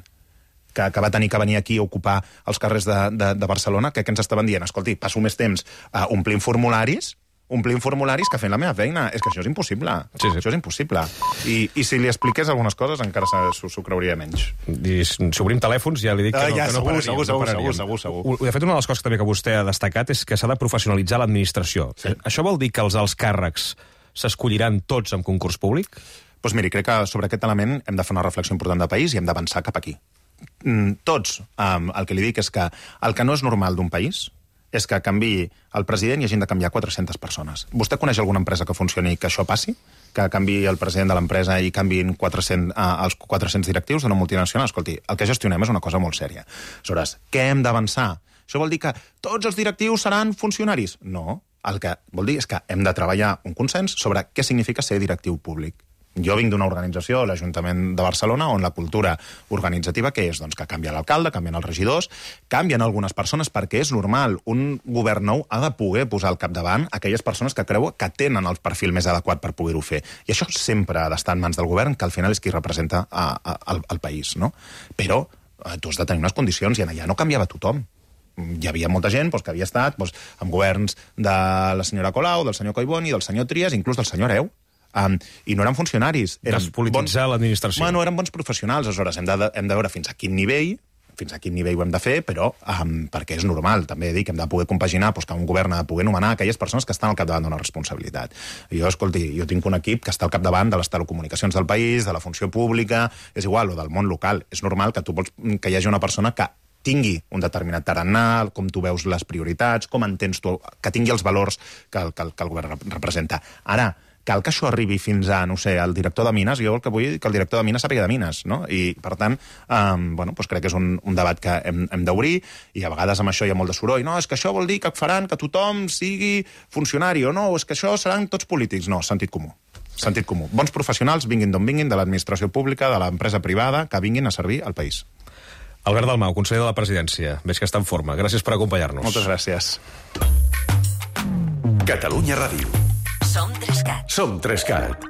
que va tenir que venir aquí a ocupar els carrers de Barcelona, que ens estaven dient, escolti, passo més temps omplint formularis que fent la meva feina. És que això és impossible. Sí. Això és impossible. I si li expliqués algunes coses encara s'ho creuria menys. I si obrim telèfons ja li dic que no pararíem. Segur. De fet, una de les coses també que vostè ha destacat és que s'ha de professionalitzar l'administració. Sí. Això vol dir que els alts càrrecs s'escolliran tots en concurs públic? Doncs miri, crec que sobre aquest element hem de fer una reflexió important de país i hem d'avançar cap aquí. Tots, el que li dic és que el que no és normal d'un país és que canviï el president i hagin de canviar 400 persones. Vostè coneix alguna empresa que funcioni que això passi? Que canviï el president de l'empresa i canviïn els 400 directius d'una multinacional? Escolti, el que gestionem és una cosa molt sèria. Aleshores, què hem d'avançar? Això vol dir que tots els directius seran funcionaris? No. El que vol dir és que hem de treballar un consens sobre què significa ser directiu públic. Jo vinc d'una organització, l'Ajuntament de Barcelona, on la cultura organitzativa què és? Doncs que canvia l'alcalde, canvien els regidors, canvien algunes persones perquè és normal. Un govern nou ha de poder posar al capdavant aquelles persones que creu que tenen el perfil més adequat per poder-ho fer. I això sempre ha d'estar en mans del govern, que al final és qui representa el país, no? Però tu has de tenir unes condicions i allà no canviava tothom. Hi havia molta gent que havia estat amb governs de la senyora Colau, del senyor Collboni, del senyor Trias, inclús del senyor Hereu, i no eren funcionaris. Despolititzar l'administració. Bueno, eren bons professionals. Aleshores, hem de veure fins a quin nivell ho hem de fer, però perquè és normal. També dic que hem de poder compaginar que un govern ha de poder nomenar aquelles persones que estan al capdavant d'una responsabilitat. Jo tinc un equip que està al capdavant de les telecomunicacions del país, de la funció pública, és igual, o del món local. És normal que tu vols que hi hagi una persona que tingui un determinat tarannà, com tu veus les prioritats, com entens tu, que tingui els valors que el govern representa. Ara, cal que això arribi fins a, el director de Mines. Jo el que vull que el director de Mines sàpiga de Mines, no? I, per tant, crec que és un debat que hem d'obrir, i a vegades amb això hi ha molt de soroll. No, és que això vol dir que faran que tothom sigui funcionari, o no, és que això seran tots polítics. No, sentit comú. Sentit comú. Bons professionals, vinguin d'on vinguin, de l'administració pública, de l'empresa privada, que vinguin a servir al país. Albert Dalmau, conseller de la Presidència. Veig que està en forma. Gràcies per acompanyar-nos. Moltes gràcies. Catalunya Ràdio. Som 3CAT. Som 3CAT.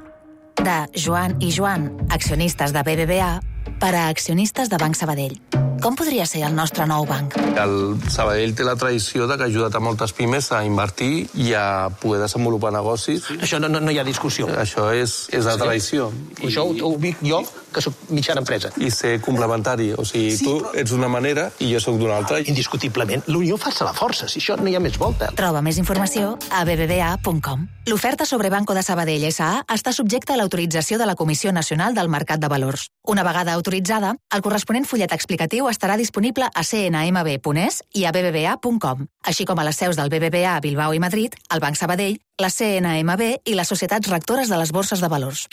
De Joan i Joan, accionistes de BBVA, per a accionistes de Banc Sabadell. Com podria ser el nostre nou banc? El Sabadell té la tradició de que ha ajudat a moltes pimes a invertir i a poder desenvolupar negocis. Això no hi ha discussió. Això és la tradició. Això ho dic jo, que soc mitjana empresa. I ser complementari. O sigui, tu ets d'una manera i jo sóc d'una altra. Indiscutiblement. L'unió fa la força. Si això no hi ha més volta. Troba més informació a bbva.com. L'oferta sobre Banco de Sabadell S.A. està subjecta a l'autorització de la Comissió Nacional del Mercat de Valors. Una vegada autoritzada, el corresponent fullet explicatiu estarà disponible a cnmb.es i a bbva.com, així com a les seus del BBVA a Bilbao i Madrid, el Banc Sabadell, la CNMB i les societats rectores de les borses de valors.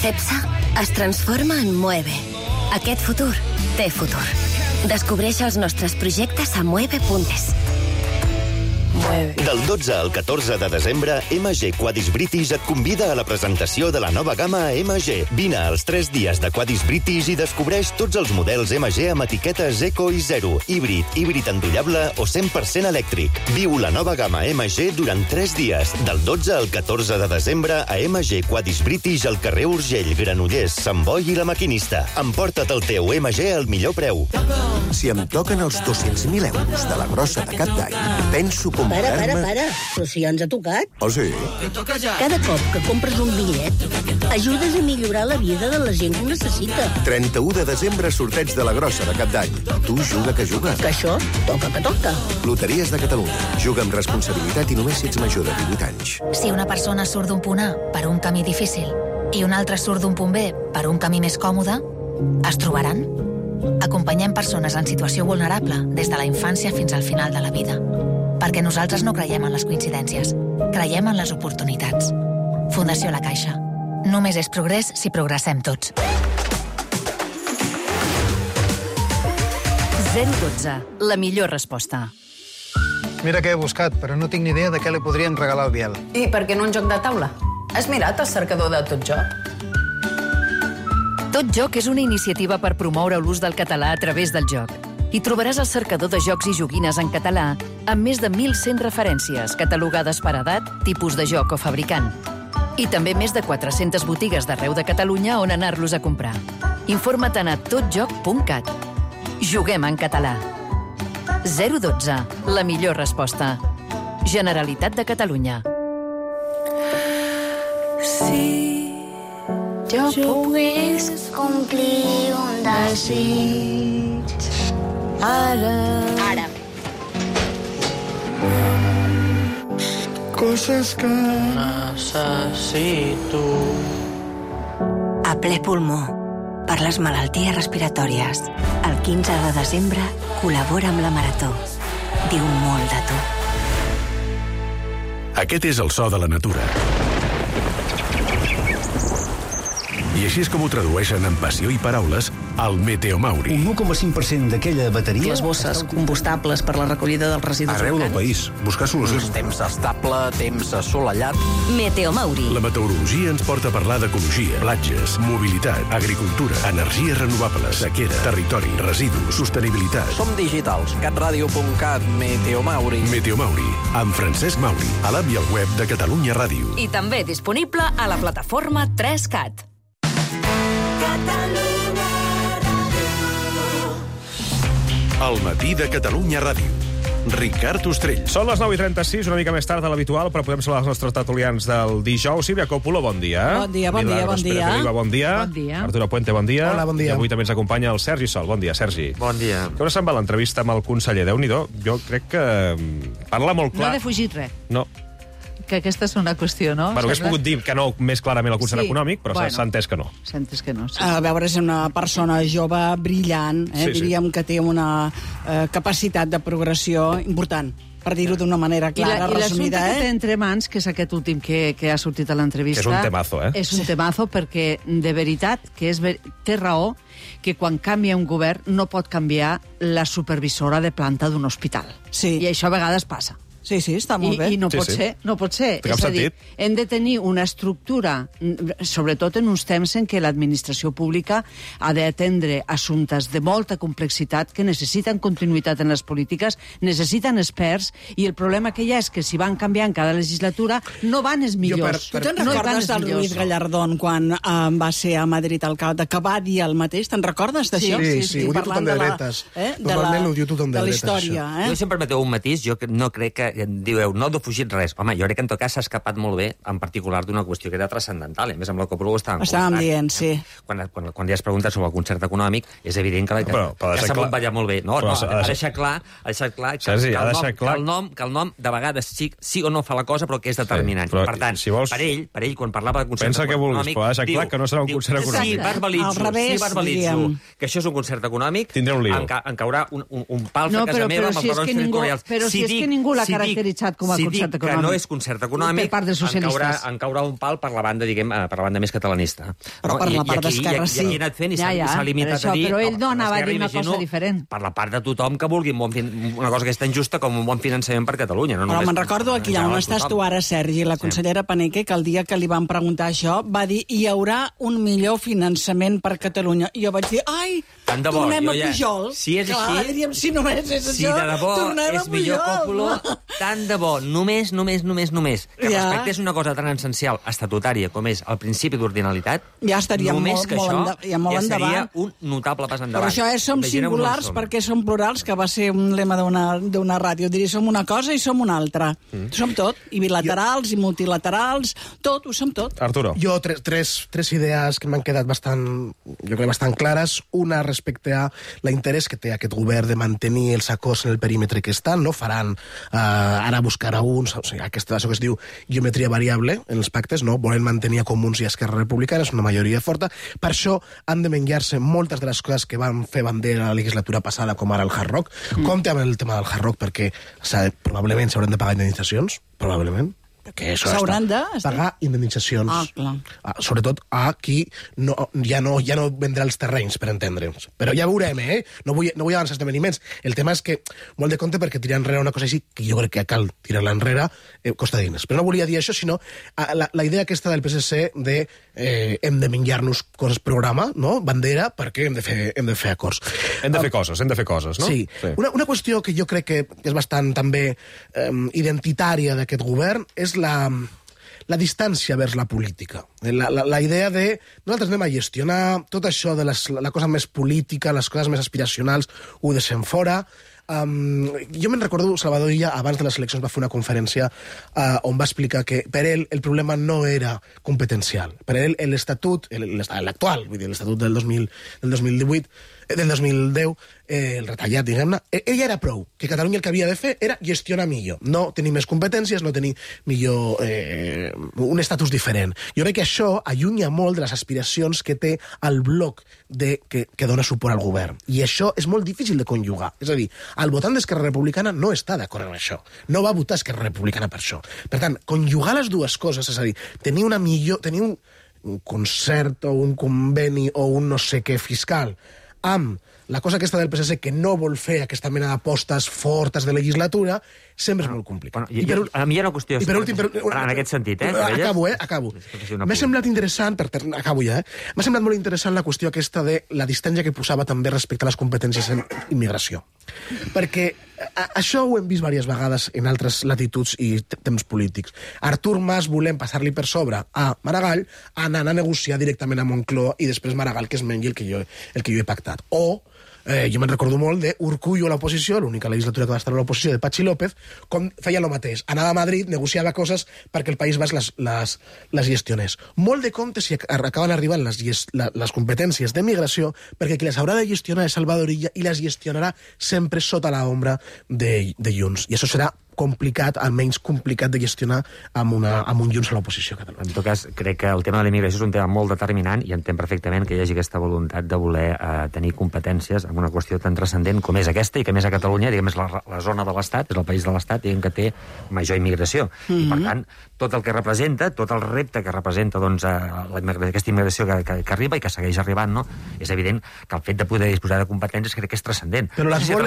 CEPSA es transforma en Mueve. Aquest futur té futur. Descobreix els nostres projectes a mueve.es. Del 12 al 14 de desembre, MG Quadis British et convida a la presentació de la nova gamma MG. Vine als 3 dies de Quadis British i descobreix tots els models MG amb etiquetes Eco i Zero, híbrid endollable o 100% elèctric. Viu la nova gamma MG durant 3 dies, del 12 al 14 de desembre a MG Quadis British al carrer Urgell, Granollers, Sant Boi i La Maquinista. Emporta't el teu MG al millor preu. Si em toquen els 200.000 euros de la grossa de cap d'any, penso comprar-me... Para, però si ja ens ha tocat. Oh, sí? Cada cop que compres un bitllet, ajudes a millorar la vida de la gent que ho necessita. 31 de desembre, sorteig de la grossa de cap d'any. Tu juga que juga. Que això toca que toca. Loteries de Catalunya. Juga amb responsabilitat i només si ets major de 18 anys. Si una persona surt d'un punt A per un camí difícil i una altra surt d'un punt B per un camí més còmode, es trobaran? Acompanyem persones en situació vulnerable des de la infància fins al final de la vida. Perquè nosaltres no creiem en les coincidències. Creiem en les oportunitats. Fundació La Caixa. Només és progrés si progressem tots. 012, la millor resposta. Mira què he buscat, però no tinc ni idea de què li podríem regalar al Biel. I per què no un joc de taula? Has mirat el cercador de Tot Joc? Tot Joc és una iniciativa per promoure l'ús del català a través del joc. Hi trobaràs el cercador de jocs i joguines en català amb més de 1.100 referències catalogades per edat, tipus de joc o fabricant. I també més de 400 botigues d'arreu de Catalunya on anar-los a comprar. Informa't a totjoc.cat. Juguem en català. 012, la millor resposta. Generalitat de Catalunya. Si jo pogués complir un desig ara. Coses que necessito. A ple pulmó, per les malalties respiratòries. El 15 de desembre col·labora amb la Marató. Diu molt de tu. Aquest és el so de la natura. I així és com ho tradueixen en passió i paraules al Meteomauri. Un 1,5% d'aquella bateria... Les bosses combustables per la recollida dels residus arreu del país. Buscar solucions. Temps estable, temps assolellat. Meteomauri. La meteorologia ens porta a parlar d'ecologia, platges, mobilitat, agricultura, energies renovables, sequera, territori, residus, sostenibilitat. Som digitals. catradio.cat, Meteomauri. Meteomauri, amb Francesc Mauri, a l'app i al web de Catalunya Ràdio. I també disponible a la plataforma 3CAT. El matí de Catalunya Ràdio. Ricard Ostrell. Són les 9:36, una mica més tard de l'habitual, però podem saludar els nostres tertulians del dijous. Sílvia Coppola, bon dia. Bon dia, bon dia, Milagros bon dia. Pérez Oliva, bon dia. Bon dia. Arturo Puente, bon dia. Hola, bon dia. I avui també ens acompanya el Sergi Sol. Bon dia, Sergi. Bon dia. Com se'n va l'entrevista amb el conseller? Déu-n'hi-do. Jo crec que parla molt No clar. ha defugit res. No. Que aquesta és una qüestió, no? Bueno, hagués pogut dir que no més clarament el concert econòmic, però bueno. s'ha entès que no. S'ha entès que no, sí. A veure, és una persona jove, brillant, Sí, sí. diríem que té una capacitat de progressió important, per dir-ho d'una manera clara, I l'assumpte resumida. que té entre mans, que és aquest últim que ha sortit a l'entrevista... Que és un temazo, eh? És un temazo perquè, de veritat, que té raó que quan canvia un govern no pot canviar la supervisora de planta d'un hospital. Sí. I això a vegades passa. Sí, sí, està molt bé. I no Sí, pot sí. ser, no pot ser. Té cap És a dir, sentit. hem de tenir una estructura, sobretot en uns temps en què l'administració pública ha d'atendre assumptes de molta complexitat que necessiten continuïtat en les polítiques, necessiten experts, i el problema que hi ha és que si van canviant cada legislatura no van els millors. Tu te'n No hi van recordes els del millors. Luis Gallardón quan va ser a Madrid alcalde, que va dir el mateix? Te'n recordes d'això? Sí, ho diu tothom de dretes. Normalment ho diu tothom de dretes, De la història, això. eh? Jo, si em permeteu un matís, jo no crec que dieu, no ha defugit res. Home, jo crec que en tot cas s'ha escapat molt bé, en particular d'una qüestió que era transcendental. A més, amb la Coppola ho estàvem Dient, sí. Quan ja es pregunta sobre el concert econòmic, és evident que Però s'ha ballar molt bé. No, ha deixat clar Sergi, ha deixat clar que el nom de vegades sí o no fa la cosa, però que és determinant. però Per tant, si vols- per ell, quan parlava de concert Pensa que vulguis, econòmic... però ha deixat clar que no serà un concert econòmic. Si verbalitzo, Al revés, diríem. que això és un concert econòmic, tindré un lío. em caurà un pal No, a casa meva amb els si és barons que ningú, territorials. però si és que ningú l'ha caracteritzat com a concert Si dic que econòmic. no és concert econòmic, Per part dels socialistes. em caurà un pal per la banda, diguem, per la banda més catalanista. Però per la part d'Esquerra sí. I aquí ha anat fent i Ja, s'ha limitat per això, a dir... però ell no anava a dir una Imagino, cosa diferent. Per la part de tothom que vulgui una cosa que és tan justa com un bon finançament per Catalunya. No Però només me'n recordo aquí en on general estàs tothom. tu ara, Sergi, la consellera Paneque, que el dia que li van preguntar això va dir hi haurà un millor finançament per Catalunya. I jo vaig dir, ai, Tant de bo, tornem jo a ja- Pujol. si és Clar, així- diríem, si només és Si això, de debò tornem a és millor Pujol. Coppola, tant de bo, només, que Ja. respectés una cosa tan essencial, estatutària, com és el principi d'ordinalitat, Ja estaríem només molt, que molt, això molt ja seria endavant. un notable pas Però endavant. això és som Imaginem on singulars som. perquè som plurals, que va ser un lema d'una ràdio. Diria, som una cosa i som una altra. Som tot, i bilaterals, i multilaterals, tot, ho som tot. Arturo. Jo, tres idees que m'han quedat jo crec bastant clares. Una respecte a l'interès que té aquest govern de mantenir els acords en el perímetre que estan, no faran ara buscar a uns, o sigui, això que es diu geometria variable en els pactes, no? Volen mantenir a Comuns i a Esquerra Republicana, és una majoria forta. Per això han de menjar-se moltes de les coses que van fer bandera la legislatura passada, com ara el Hard Rock. Compte amb el tema del Hard Rock, perquè probablement s'hauran de pagar indemnitzacions, probablement. perquè això s'hauran de pagar indemnitzacions. Sobretot a qui ja no vendrà els terrenys, per entendre'ns. Però ja veurem, No vull avançar esdeveniments. El tema és que molt de compte perquè tirar enrere una cosa així, que jo crec que cal tirar-la enrere, costa diners. Però no volia dir això, sinó la idea aquesta del PSC de hem de menjar-nos coses programa, no? Bandera, perquè hem de fer acords. Hem de fer coses, no? Sí. Una qüestió que jo crec que és bastant també identitària d'aquest govern és la distància vers la política. La idea de nosaltres anem a gestionar tot això de la cosa més política, les coses més aspiracionals, ho deixem fora. Jo me'n recordo, Salvador Illa, abans de les eleccions va fer una conferència on va explicar que per ell el problema no era competencial. Per ell l'Estatut, l'actual, vull dir, l'Estatut del 2010, el retallat, diguem-ne, ell era prou, que Catalunya el que havia de fer era gestionar millor, no tenir més competències, no tenir millor un estatus diferent. Jo crec que això allunya molt de les aspiracions que té el bloc que dona suport al govern. I això és molt difícil de conjugar. És a dir, el votant d'Esquerra Republicana no està d'acord amb això. No va votar Esquerra Republicana per això. Per tant, conjugar les dues coses, és a dir, tenir un concert o un conveni o un no sé què fiscal amb la cosa aquesta del PSC que no vol fer aquesta mena d'apostes fortes de legislatura, sempre és molt complicat. A mi hi ha una qüestió en aquest sentit. Acabo. M'ha semblat interessant, acabo ja, m'ha semblat molt interessant la qüestió aquesta de la distància que posava també respecte a les competències en immigració. Perquè això ho hem vist diverses vegades en altres latituds i temps polítics. Artur Mas volem passar-li per sobre a Maragall, anant a negociar directament a Moncloa i després Maragall que es mengi el que jo he pactat. O jo me'n recordo molt d'Urkullu a l'oposició, l'única legislatura que va estar a l'oposició, de Patxi López, com feia el mateix. Anava a Madrid, negociava coses perquè el País Basc les gestionés. Molt de compte si acaben arribant les competències de migració, perquè qui les haurà de gestionar és Salvador Illa i les gestionarà sempre sota l'ombra de Junts. I això serà complicat, almenys complicat de gestionar amb un Junts a l'oposició catalana. En tot cas, crec que el tema de la immigració és un tema molt determinant i entenc perfectament que hi hagi aquesta voluntat de voler tenir competències en una qüestió tan transcendent com és aquesta i que més a Catalunya, diguem, és la zona de l'Estat, és el país de l'Estat, diguem, que té major immigració. I, per tant, tot el que representa, tot el repte que representa aquesta immigració que arriba i que segueix arribant, no? És evident que el fet de poder disposar de competències crec que és transcendent. Però les vol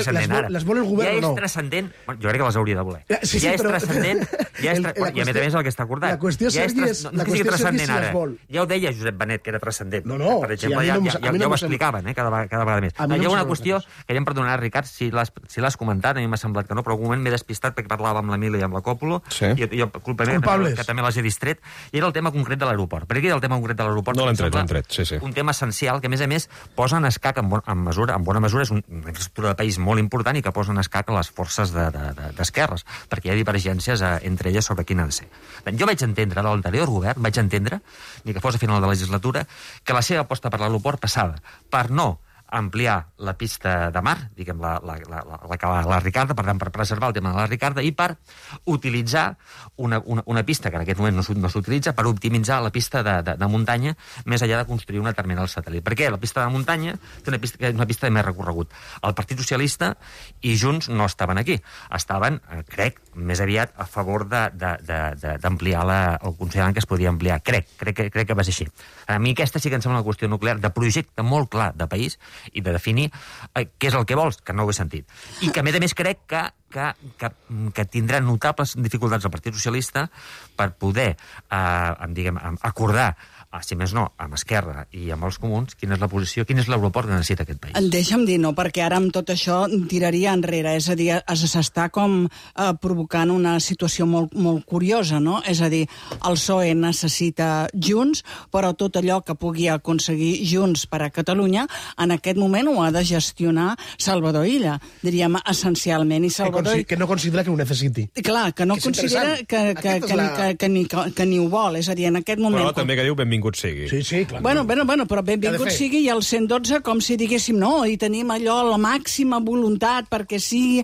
el govern o no? Ja és transcendent. Jo crec que les hauria de voler. Sí, ja és transcendent, i a més a més el que està acordat. La qüestió és si les vol. Ja ho deia Josep Benet, que era transcendent. No, per exemple, ja ho explicaven, cada vegada més. Hi ha una qüestió que ja em perdonarà, Ricard, si l'has comentat, a mi m'ha semblat que no, però en un moment m'he despistat perquè parlava amb l'Emili i amb la Còpolo, i culpa meva, que també les he distret, i era el tema concret de l'aeroport. Per aquí el tema concret de l'aeroport un tema essencial que, a més, posa en escac, en bona mesura, és una infraestructura de país molt important i que posa en escac les forces d'esquerres, perquè hi ha divergències entre elles sobre quina ha de ser. Jo vaig entendre, de l'anterior govern, ni que fos a final de la legislatura, que la seva aposta per l'aeroport passava per no ampliar la pista de mar, diguem, la Ricarda, per tant, per preservar el tema de la Ricarda, i per utilitzar una pista que en aquest moment no s'utilitza, per optimitzar la pista de muntanya, més enllà de construir una terminal satèl·lit. Per què? La pista de muntanya té una pista de més recorregut. El Partit Socialista i Junts no estaven aquí. Estaven, crec, més aviat a favor d'ampliar o consideraven que es podia ampliar. Crec que va ser així. A mi aquesta sí que em sembla una qüestió nuclear de projecte molt clar de país i de definir què és el que vols, que no ho he sentit. I que, a més, crec que tindrà notables dificultats el Partit Socialista per poder, acordar, si més no, amb Esquerra i amb els comuns, quina és la posició, quin és l'aeroport que necessita aquest país. Deixa'm dir, no, perquè ara amb tot això tiraria enrere, és a dir, s'està com provocant una situació molt, molt curiosa, no? És a dir, el PSOE necessita Junts, però tot allò que pugui aconseguir Junts per a Catalunya, en aquest moment ho ha de gestionar Salvador Illa, diríem, essencialment. I Salvador... Que no considera que ho necessiti. Clar, que no considera que ni ho vol, és a dir, en aquest moment... Però també que diu benvingut sigui. Sí, clar. Bueno, però benvingut sigui i el 112 com si diguéssim no, i tenim allò, la màxima voluntat perquè sigui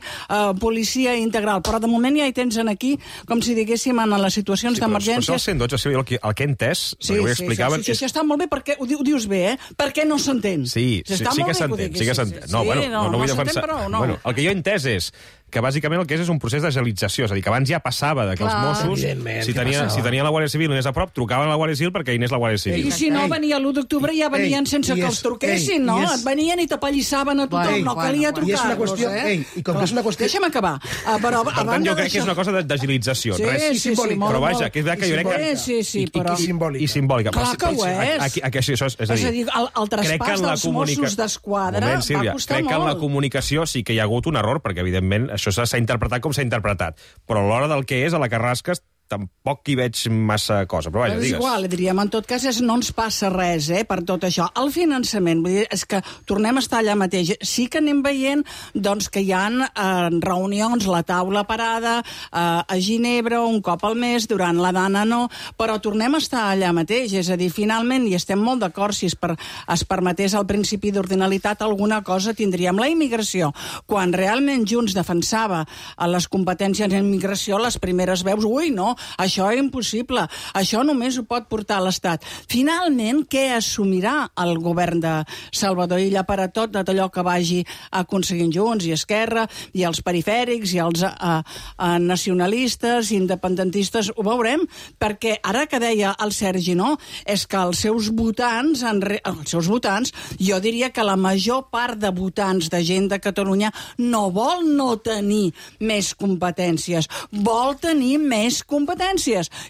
policia integral, però de moment ja hi tens aquí com si diguéssim en les situacions d'emergència. Sí, però el 112, el que he entès, sí, això està molt bé, perquè ho dius bé, Per què no s'entén? Sí que s'entén. No vull defensar... Bueno, el que jo he entès és que bàsicament el que és un procés d'agilització, és a dir, que abans ja passava que els Mossos, si tenia la Guàrdia Civil i anés a prop, trucaven a la Guàrdia Civil perquè hi anés la Guàrdia Civil. I si no, venia l'1 d'octubre ja venien sense que els truquessin, no? Et venien i t'apallissaven a tothom, no calia trucar-los, I com que és una qüestió... Deixa'm acabar. Per tant, jo crec que és una cosa d'agilització. Sí, però vaja, que és veritat que jo crec que... Sí, però... I simbòlica. Clar que ho és. És a dir, el traspàs dels Mossos d'Esquadra va costar molt. Crec que en la comunicació sí que hi ha hagut un error, perquè, evidentment, això s'ha interpretat com s'ha interpretat. Però a l'hora del que és, a la Carrasca, tampoc hi veig massa cosa. Però vaja, digues. És igual, diríem, en tot cas, no ens passa res, per tot això. El finançament, vull dir, és que tornem a estar allà mateix. Sí que anem veient, doncs, que hi ha reunions, la taula parada, a Ginebra, un cop al mes, durant la Dana no, però tornem a estar allà mateix. És a dir, finalment, i estem molt d'acord, si es permetés el principi d'ordinalitat, alguna cosa tindríem. La immigració, quan realment Junts defensava les competències en immigració, les primeres veus, no, això és impossible, això només ho pot portar l'Estat. Finalment, què assumirà el govern de Salvador Illa per a tot allò que vagi aconseguint Junts i Esquerra i els perifèrics i els nacionalistes, independentistes? Ho veurem, perquè ara que deia el Sergi, no, és que els seus votants, jo diria que la major part de votants de gent de Catalunya no vol no tenir més competències, vol tenir més competències,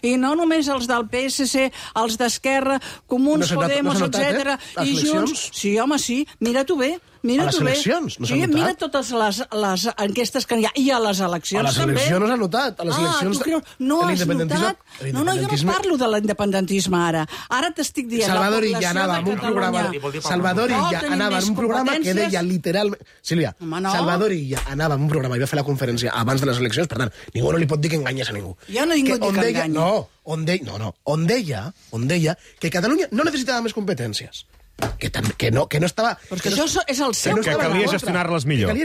i no només els del PSC, els d'Esquerra, Comuns, Podemos, etc. I Junts... Sí, home, sí, mira-t'ho bé. A les eleccions no s'ha notat? Mira totes les enquestes que hi ha. I a les eleccions també. A les eleccions no s'ha notat. A les eleccions... tu creus? No has notat? No, jo no parlo de l'independentisme ara. Ara t'estic dient... Salvador Illa anava en un programa... Salvador Illa anava en un programa que deia literalment... Sílvia, Salvador Illa anava en un programa i va fer la conferència abans de les eleccions, per tant, ningú no li pot dir que enganyes a ningú. Jo no he dit que enganyi. On deia que Catalunya no necessitava més competències. Que no estava... Perquè això és el seu... Que calia gestionar-les millor.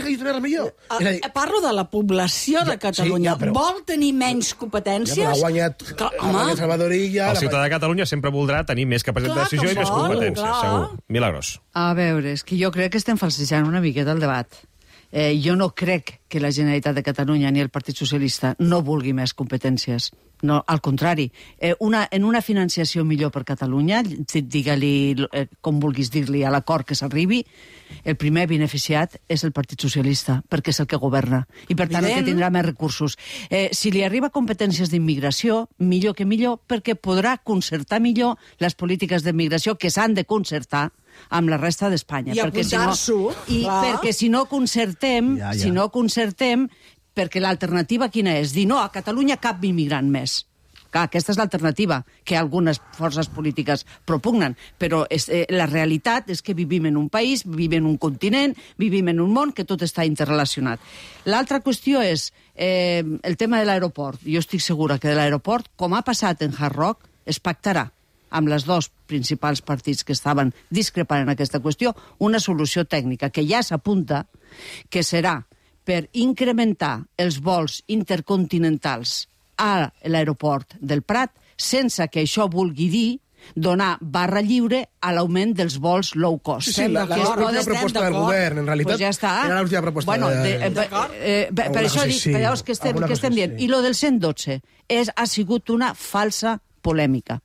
Parlo de la població de Catalunya. Vol tenir menys competències? Ja, però ha guanyat Salvador Illa... El ciutadà de Catalunya sempre voldrà tenir més capacitat de decisió i més competències, segur. Milagros. A veure, és que jo crec que estem falsejant una miqueta el debat. Jo no crec que la Generalitat de Catalunya ni el Partit Socialista no vulgui més competències. No, al contrari. En una financiació millor per Catalunya, digue-li com vulguis dir-li a l'acord que s'arribi, el primer beneficiat és el Partit Socialista, perquè és el que governa. I per tant el que tindrà més recursos. Si li arriba competències d'immigració, millor que millor, perquè podrà concertar millor les polítiques d'immigració que s'han de concertar amb la resta d'Espanya. I apuntar-s'ho. Perquè si no concertem, perquè l'alternativa quina és? Dir no, a Catalunya cap immigrant més. Clar, aquesta és l'alternativa que algunes forces polítiques propugnen, però la realitat és que vivim en un país, vivim en un continent, vivim en un món que tot està interrelacionat. L'altra qüestió és el tema de l'aeroport. Jo estic segura que de l'aeroport, com ha passat en Hard Rock, es pactarà amb les dos principals partits que estaven discrepant en aquesta qüestió, una solució tècnica que ja s'apunta, que serà per incrementar els vols intercontinentals a l'aeroport del Prat, sense que això vulgui dir donar barra lliure a l'augment dels vols low cost. Sí, l'última proposta del govern, en realitat, era l'última proposta per això dic, veus que estem dient. I lo del 112 ha sigut una falsa polèmica.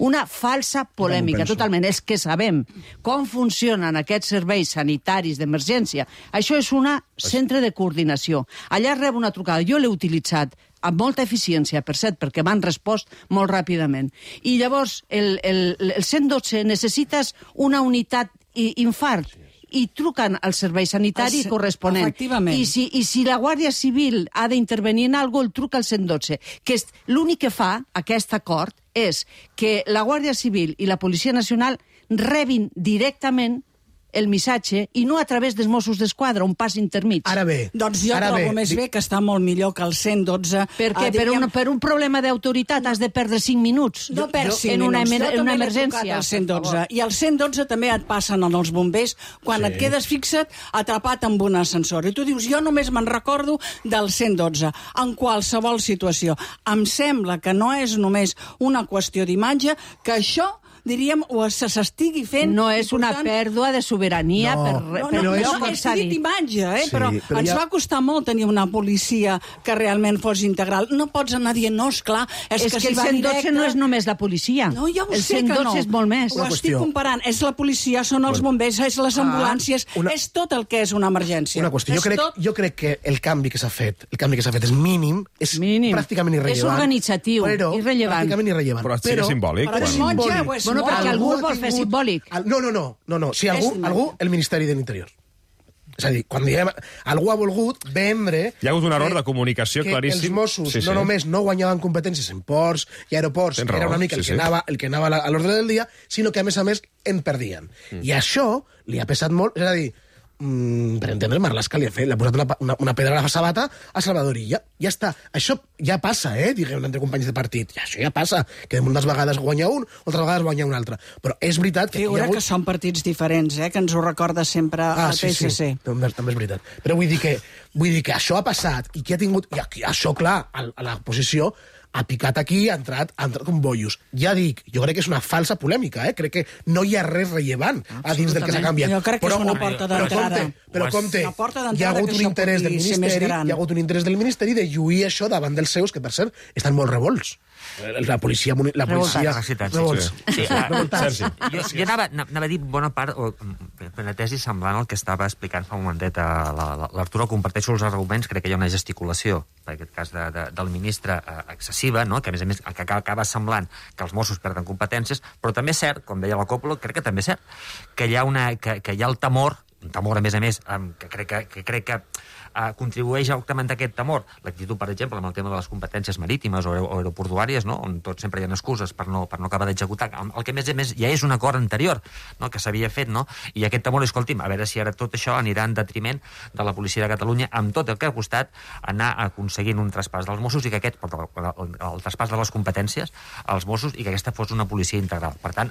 Una falsa polèmica, totalment. És que sabem com funcionen aquests serveis sanitaris d'emergència. Això és un centre de coordinació. Allà rep una trucada. Jo l'he utilitzat amb molta eficiència, per cert, perquè m'han respost molt ràpidament. I llavors, el 112 necessites una unitat infart i truquen al servei sanitari corresponent. I si la Guàrdia Civil ha d'intervenir en alguna cosa, el truca al 112. Que l'únic que fa aquest acord és que la Guàrdia Civil i la Policia Nacional rebin directament el missatge i no a través dels Mossos d'Esquadra, un pas intermig. Ara bé. Doncs jo trobo més bé que està molt millor que el 112. Per què? Per un problema d'autoritat has de perdre 5 minuts? No perds 5 minuts. En una emergència. El 112. I el 112 també et passen els bombers quan et quedes fixat atrapat amb un ascensor. I tu dius, jo només me'n recordo del 112. En qualsevol situació. Em sembla que no és només una qüestió d'imatge, que això diríem, o s'estigui fent... No és una pèrdua de sobirania No, és dit imatge, però ens va costar molt tenir una policia que realment fos integral. No pots anar dient, no, esclar, és que el 112 no és només la policia. No, ja ho sé que no. El 112 és molt més. Ho estic comparant. És la policia, són els bombers, és les ambulàncies, és tot el que és una emergència. Una qüestió. Jo crec que el canvi que s'ha fet és mínim, és pràcticament irrellevant. És organitzatiu, irrellevant. Pràcticament irrellevant. Però és simbòlic. Però és simbòlic. Bueno, perquè algú vol fer simbòlic. No. Si algú, el Ministeri de l'Interior. És a dir, quan diem... Algú ha volgut vendre... Hi ha hagut un error de comunicació claríssim. Que els Mossos no només no guanyaven competències en ports i aeroports, que era una mica el que anava a l'ordre del dia, sinó que, a més, en perdien. I això li ha pesat molt... És a dir, per entendre, Marlaska li ha posat una pedra a la sabata a Salvador Illa. Ja està. Això ja passa, diguem, entre companys de partit. Això ja passa, que moltes vegades guanya un, altres vegades guanya un altre. Però és veritat que... Figura que són partits diferents, que ens ho recorda sempre el PSC. Sí. També és veritat. Però vull dir que això ha passat i que ha tingut... I això, clar, a la posició ha picat aquí, ha entrat com bollos. Ja dic, jo crec que és una falsa polèmica, Crec que no hi ha res rellevant a dins del que s'ha canviat. Jo crec que és una porta d'entrada. Però compte, hi ha hagut un interès del Ministeri de lluir això davant dels seus, que per cert estan molt revolts. La policia... Sí. Jo anava a dir bona part, o una tesi semblant al que estava explicant fa un momentet l'Arturo. Comparteixo els arguments, crec que hi ha una gesticulació, en aquest cas del ministre, excessiva, no? Que a més que acaba semblant que els Mossos perden competències, però també és cert, com deia la Coppola, crec que també és cert, que hi ha el temor, un temor, a més, que crec que contribueix a augmentar aquest temor. L'actitud, per exemple, amb el tema de les competències marítimes o aeroportuàries, no? On tots sempre hi ha excuses per no acabar d'executar. El que, a més, ja és un acord anterior, no? Que s'havia fet, no? I aquest temor, escolti'm, a veure si ara tot això anirà en detriment de la policia de Catalunya, amb tot el que ha costat anar aconseguint un traspàs dels Mossos i que el traspàs de les competències als Mossos i que aquesta fos una policia integral. Per tant,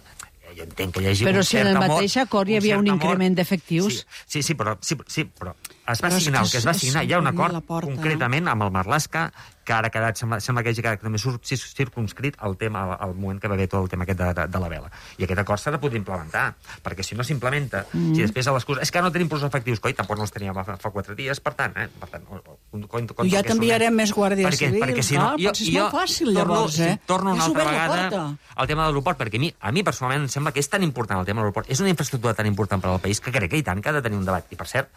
jo entenc que hi hagi però un cert amor... Però si en el mateix acord hi havia un increment d'efectius... Sí, però es va signar el que es va signar. Hi ha un acord concretament amb el Marlaska, que ara ha quedat, sembla que hagi quedat també circumscrit al moment que va haver tot el tema aquest de la vela. I aquest acord s'ha de poder implementar, perquè si no s'implementa, si després a l'excusa... És que no tenim prou efectius, coi, tampoc no els teníem fa 4 dies, per tant... Ja t'enviarem més guàrdia civil, perquè si no... És molt fàcil, llavors, Torno una altra vegada al tema de l'aeroport, perquè a mi personalment em sembla que és tan important el tema de l'aeroport, és una infraestructura tan important per al país que crec que i tant que ha de tenir un debat. I, per cert,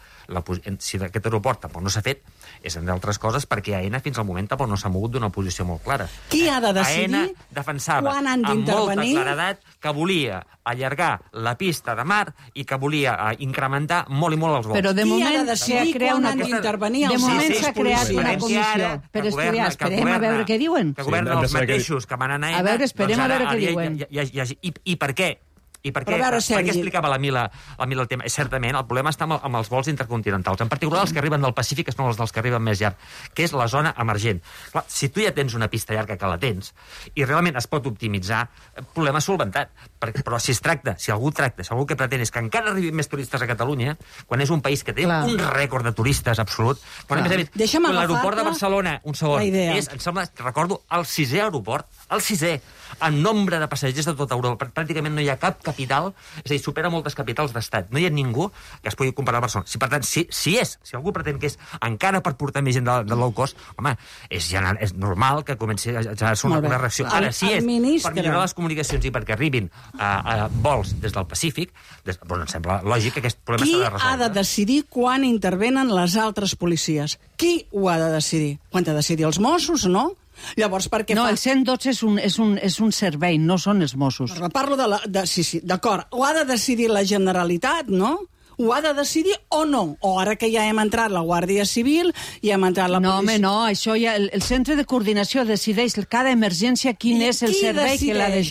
si aquest aeroport tampoc no s'ha fet, és entre altres coses perquè AENA fins al moment tampoc no s'ha mogut d'una posició molt clara. Qui ha de decidir AENA defensava amb molta claredat que volia allargar la pista de mar i que volia incrementar molt i molt els vols. Però de moment qui ha de decidir quan han d'intervenir de moment s'ha creat una comissió per estudiar. Esperem a veure què diuen. Que governen els mateixos que van anar a AENA. A veure, esperem a veure què diuen. I per què? I per què explicava la Mila el tema? Certament, el problema està amb els vols intercontinentals, en particular els que arriben del Pacífic, que són els dels que arriben més llarg, que és la zona emergent. Clar, si tu ja tens una pista llarga que la tens, i realment es pot optimitzar, problema solventat. Però si algú que pretén és que encara arribin més turistes a Catalunya, quan és un país que té un rècord de turistes absolut, quan l'aeroport de Barcelona, un segon, és, em sembla, recordo, el 6è aeroport, el 6è, en nombre de passatgers de tota Europa. Pràcticament no hi ha cap capital, és a dir, supera moltes capitals d'estat. No hi ha ningú que es pugui comparar a Barcelona. Per tant, si algú pretén que és encara per portar més gent de low cost, home, és normal que comenci a ser una reacció. Ara, si és per millorar les comunicacions i perquè arribin vols des del Pacífic, em sembla lògic que aquest problema s'ha de resoldre. Qui ha de decidir quan intervenen les altres policies? Qui ho ha de decidir? Quan ha de decidir els Mossos, no? Llavors, perquè el 112 és un servei, no són els Mossos. Parlo sí, d'acord. Ho ha de decidir la Generalitat, no? Ho ha de decidir o no? O ara que ja hem entrat la Guàrdia Civil i hem entrat la policia... No, home, no, això ja... El centre de coordinació decideix cada emergència quin és el servei que l'ha de...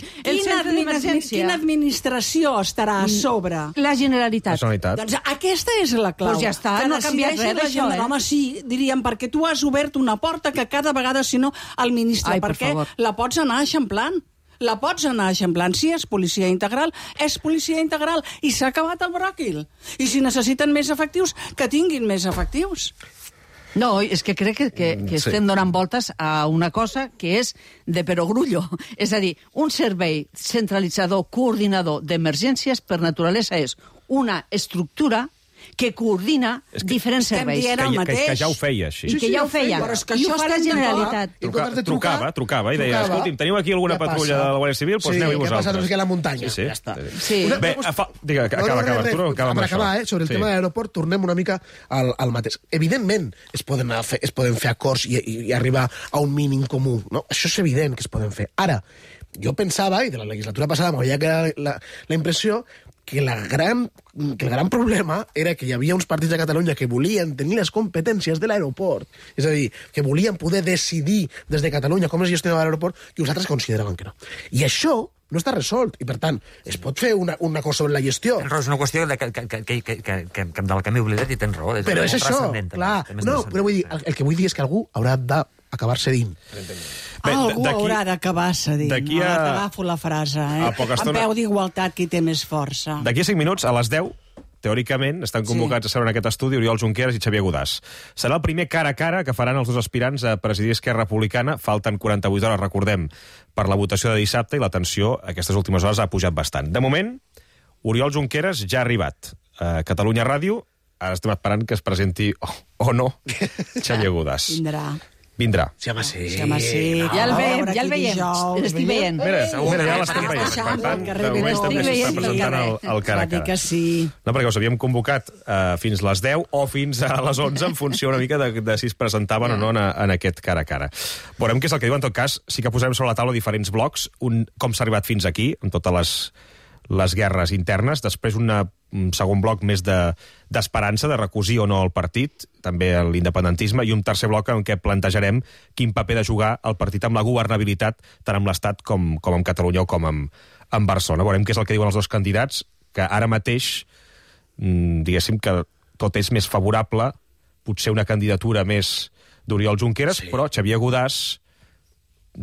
Quina administració estarà a sobre? La Generalitat. Doncs aquesta és la clau. Doncs ja està, no ha canviat res d'això, Home, sí, diríem, perquè tu has obert una porta que cada vegada, si no, el ministre... Perquè la pots anar eixamplant. La pots anar eixamplant. Si és policia integral, és policia integral. I s'ha acabat el bròquil. I si necessiten més efectius, que tinguin més efectius. No, és que crec que estem donant voltes a una cosa que és de perogrullo. És a dir, un servei centralitzador, coordinador d'emergències, per naturalesa, és una estructura que coordina diferents serveis. Que ja ho feia, així. I que ja ho feia. I ho fa la Generalitat. Trucava i deia, escolti'm, teniu aquí alguna patrulla de la Guàrdia Civil? Doncs aneu-hi vosaltres. Sí, què passa aquí a la muntanya? Ja està. Bé, acaba, Arturo, acaba amb això. Per acabar, sobre el tema de l'aeroport, tornem una mica al mateix. Evidentment, es poden fer acords i arribar a un mínim comú. Això és evident que es poden fer. Ara, jo pensava, i de la legislatura passada m'havia quedat la impressió que el gran problema era que hi havia uns partits de Catalunya que volien tenir les competències de l'aeroport, és a dir, que volien poder decidir des de Catalunya com es gestionava l'aeroport, i uns altres consideraven que no. I això no està resolt, i per tant, es pot fer una cosa sobre la gestió. Tens raó, és una qüestió de de la que m'he oblidat i tens raó. Però és això, clar. No, però vull dir, el que vull dir és que algú haurà d'acabar cedint. Algú haurà d'acabar cedint. Agafo la frase, En peu d'igualtat, qui té més força. D'aquí a 5 minuts, a les 10, teòricament, estan convocats a seure en aquest estudi Oriol Junqueras i Xavier Godàs. Serà el primer cara a cara que faran els dos aspirants a presidir Esquerra Republicana. Falten 48 hores, recordem, per la votació de dissabte, i la tensió aquestes últimes hores ha pujat bastant. De moment, Oriol Junqueras ja ha arribat a Catalunya Ràdio. Ara estem esperant que es presenti, o no, Xavier Godàs. Vindrà. Sí, home, sí. Ja el veiem. L'estic veient. Mira, ja l'estem veient. Per tant, de moment també s'està presentant el cara a cara. No, perquè us havíem convocat fins les 10 o fins a les 11 en funció una mica de si es presentaven o no en aquest cara a cara. Veurem què és el que diu. En tot cas, sí que posarem sobre la taula diferents blocs, com s'ha arribat fins aquí, amb totes les guerres internes, després un segon bloc més d'esperança, de recosir o no el partit, també l'independentisme, i un tercer bloc en què plantejarem quin paper de jugar el partit amb la governabilitat, tant amb l'Estat com amb Catalunya o com amb Barcelona. Veurem què és el que diuen els dos candidats, que ara mateix, diguéssim que tot és més favorable, potser una candidatura més d'Oriol Junqueras, però Xavier Godàs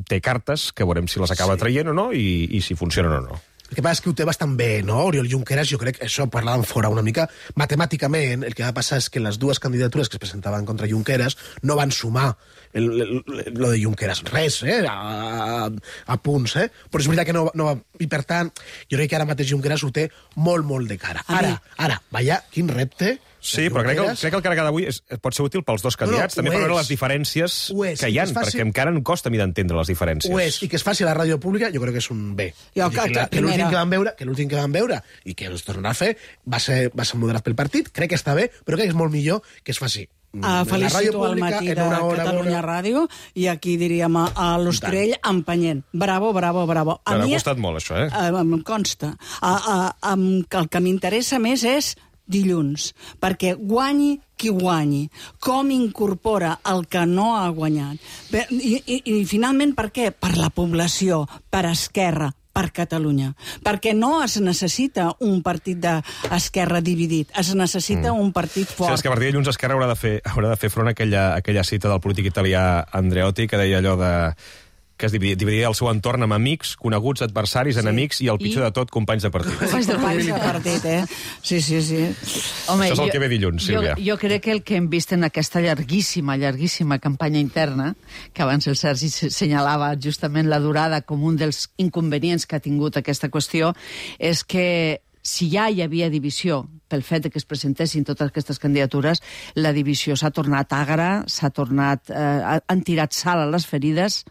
té cartes que veurem si les acaba traient o no i si funcionen o no. El que passa és que ho té bastant bé, no? Oriol Junqueras, jo crec, això parlàvem fora una mica, matemàticament, el que va passar és que les dues candidatures que es presentaven contra Junqueras no van sumar lo de Junqueras. Res, a punts, Però és veritat que no va... I per tant, jo crec que ara mateix Junqueras ho té molt, molt de cara. Ara, vaja, quin repte... Sí, però crec que el cara d'avui pot ser útil pels dos candidats, també per veure les diferències que hi ha, perquè encara em costa a mi d'entendre les diferències. Ho és, i que es faci a la ràdio pública, jo crec que és un bé. Que l'últim que van veure i que ens tornarà a fer va ser moderat pel partit, crec que està bé, però crec que és molt millor que es faci felicito al matí de Catalunya Ràdio i aquí diríem a l'Ostrell empenyent. Bravo. M'ha costat molt, això, Em consta. El que m'interessa més és dilluns, perquè guanyi qui guanyi, com incorpora el que no ha guanyat. I finalment, per què? Per la població, per Esquerra, per Catalunya. Perquè no es necessita un partit d'Esquerra dividit, es necessita un partit fort. Sí, és que a partir de dilluns Esquerra haurà de fer front a aquella cita del polític italià Andreotti, que deia allò que es dividia el seu entorn amb amics, coneguts, adversaris, enemics i el pitjor de tot, companys de partit. Companys de partit, Sí. Home, això és el que ve dilluns, Sílvia. Jo crec que el que hem vist en aquesta llarguíssima campanya interna, que abans el Sergi senyalava justament la durada com un dels inconvenients que ha tingut aquesta qüestió, és que si ja hi havia divisió pel fet que es presentessin totes aquestes candidatures, la divisió s'ha tornat agra, han tirat sal a les ferides,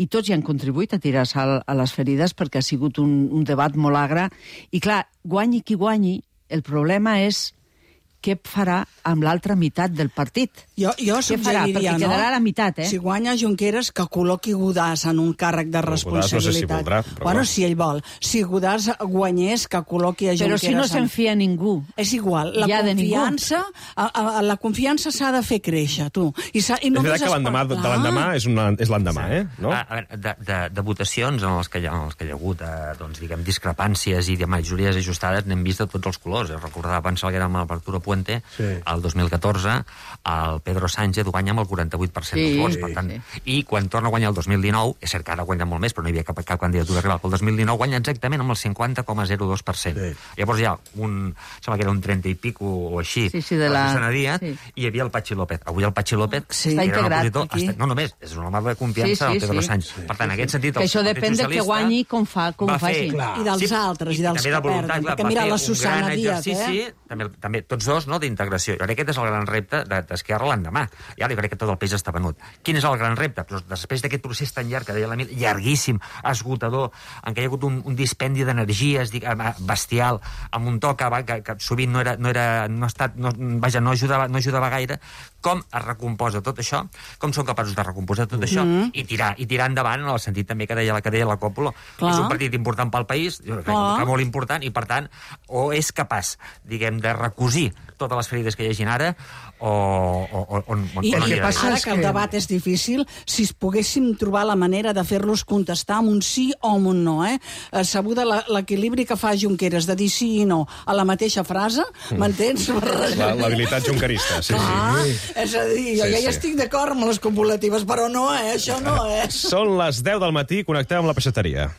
i tots hi han contribuït a tirar sal a les ferides perquè ha sigut un debat molt agre. I clar, guanyi qui guanyi, el problema és què farà amb l'altra meitat del partit. Jo Perquè suggeriria, quedarà a la meitat, Si guanya Junqueras, que col·loqui Godàs en un càrrec de responsabilitat. No sé si voldrà, però si ell vol. Si Godàs guanyés, que col·loqui a Junqueras... Però si no se'n fia ningú. És igual. La confiança s'ha de fer créixer, tu. És veritat que l'endemà és l'endemà, no? A veure, de votacions en les que hi ha hagut, discrepàncies i de majories ajustades, n'hem vist de tots els colors. Recordava abans que era amb l'Arturo Puente, Puente, el 2014, el Pedro Sánchez guanya amb el 48% dels vots, per tant, i quan torna a guanyar el 2019, és cert que ara guanya molt més, però no hi havia cap candidatura rival, pel 2019 guanya exactament amb el 50,02%. Llavors hi ha sembla que era un 30 i pico o així, de la Susana Díaz, i hi havia el Patxi López. Avui el Patxi López està integrat aquí. No només, és un home de confiança del Pedro Sánchez. Per tant, en aquest sentit, que això depèn de que guanyi com faci. I dels altres, i dels que perden. Perquè mira la Susana Díaz, també tots dos, d'integració. Jo crec que aquest és el gran repte d'Esquerra l'endemà. I ara jo crec que tot el peix està venut. Quin és el gran repte? Després d'aquest procés tan llarg, que deia l'Emili, llarguíssim, esgotador, en què hi ha hagut un dispendi d'energies bestial, amb un to que sovint no ajudava gaire, com es recomposa tot això, com són capaços de recomposar tot això i tirar endavant en el sentit també que deia la Còpula. És un partit important pel país, jo crec que molt important, i per tant, o és capaç, diguem, de recosir totes les ferides que hi hagi ara, o no hi ha. Ara que el debat és difícil, si poguéssim trobar la manera de fer-los contestar amb un sí o amb un no, sabuda l'equilibri que fa Junqueras de dir sí i no a la mateixa frase, m'entens? L'habilitat junquerista, sí. És a dir, jo ja estic d'acord amb les copulatives, però no, això no, Són les 10 del matí, connectem amb la peixateria.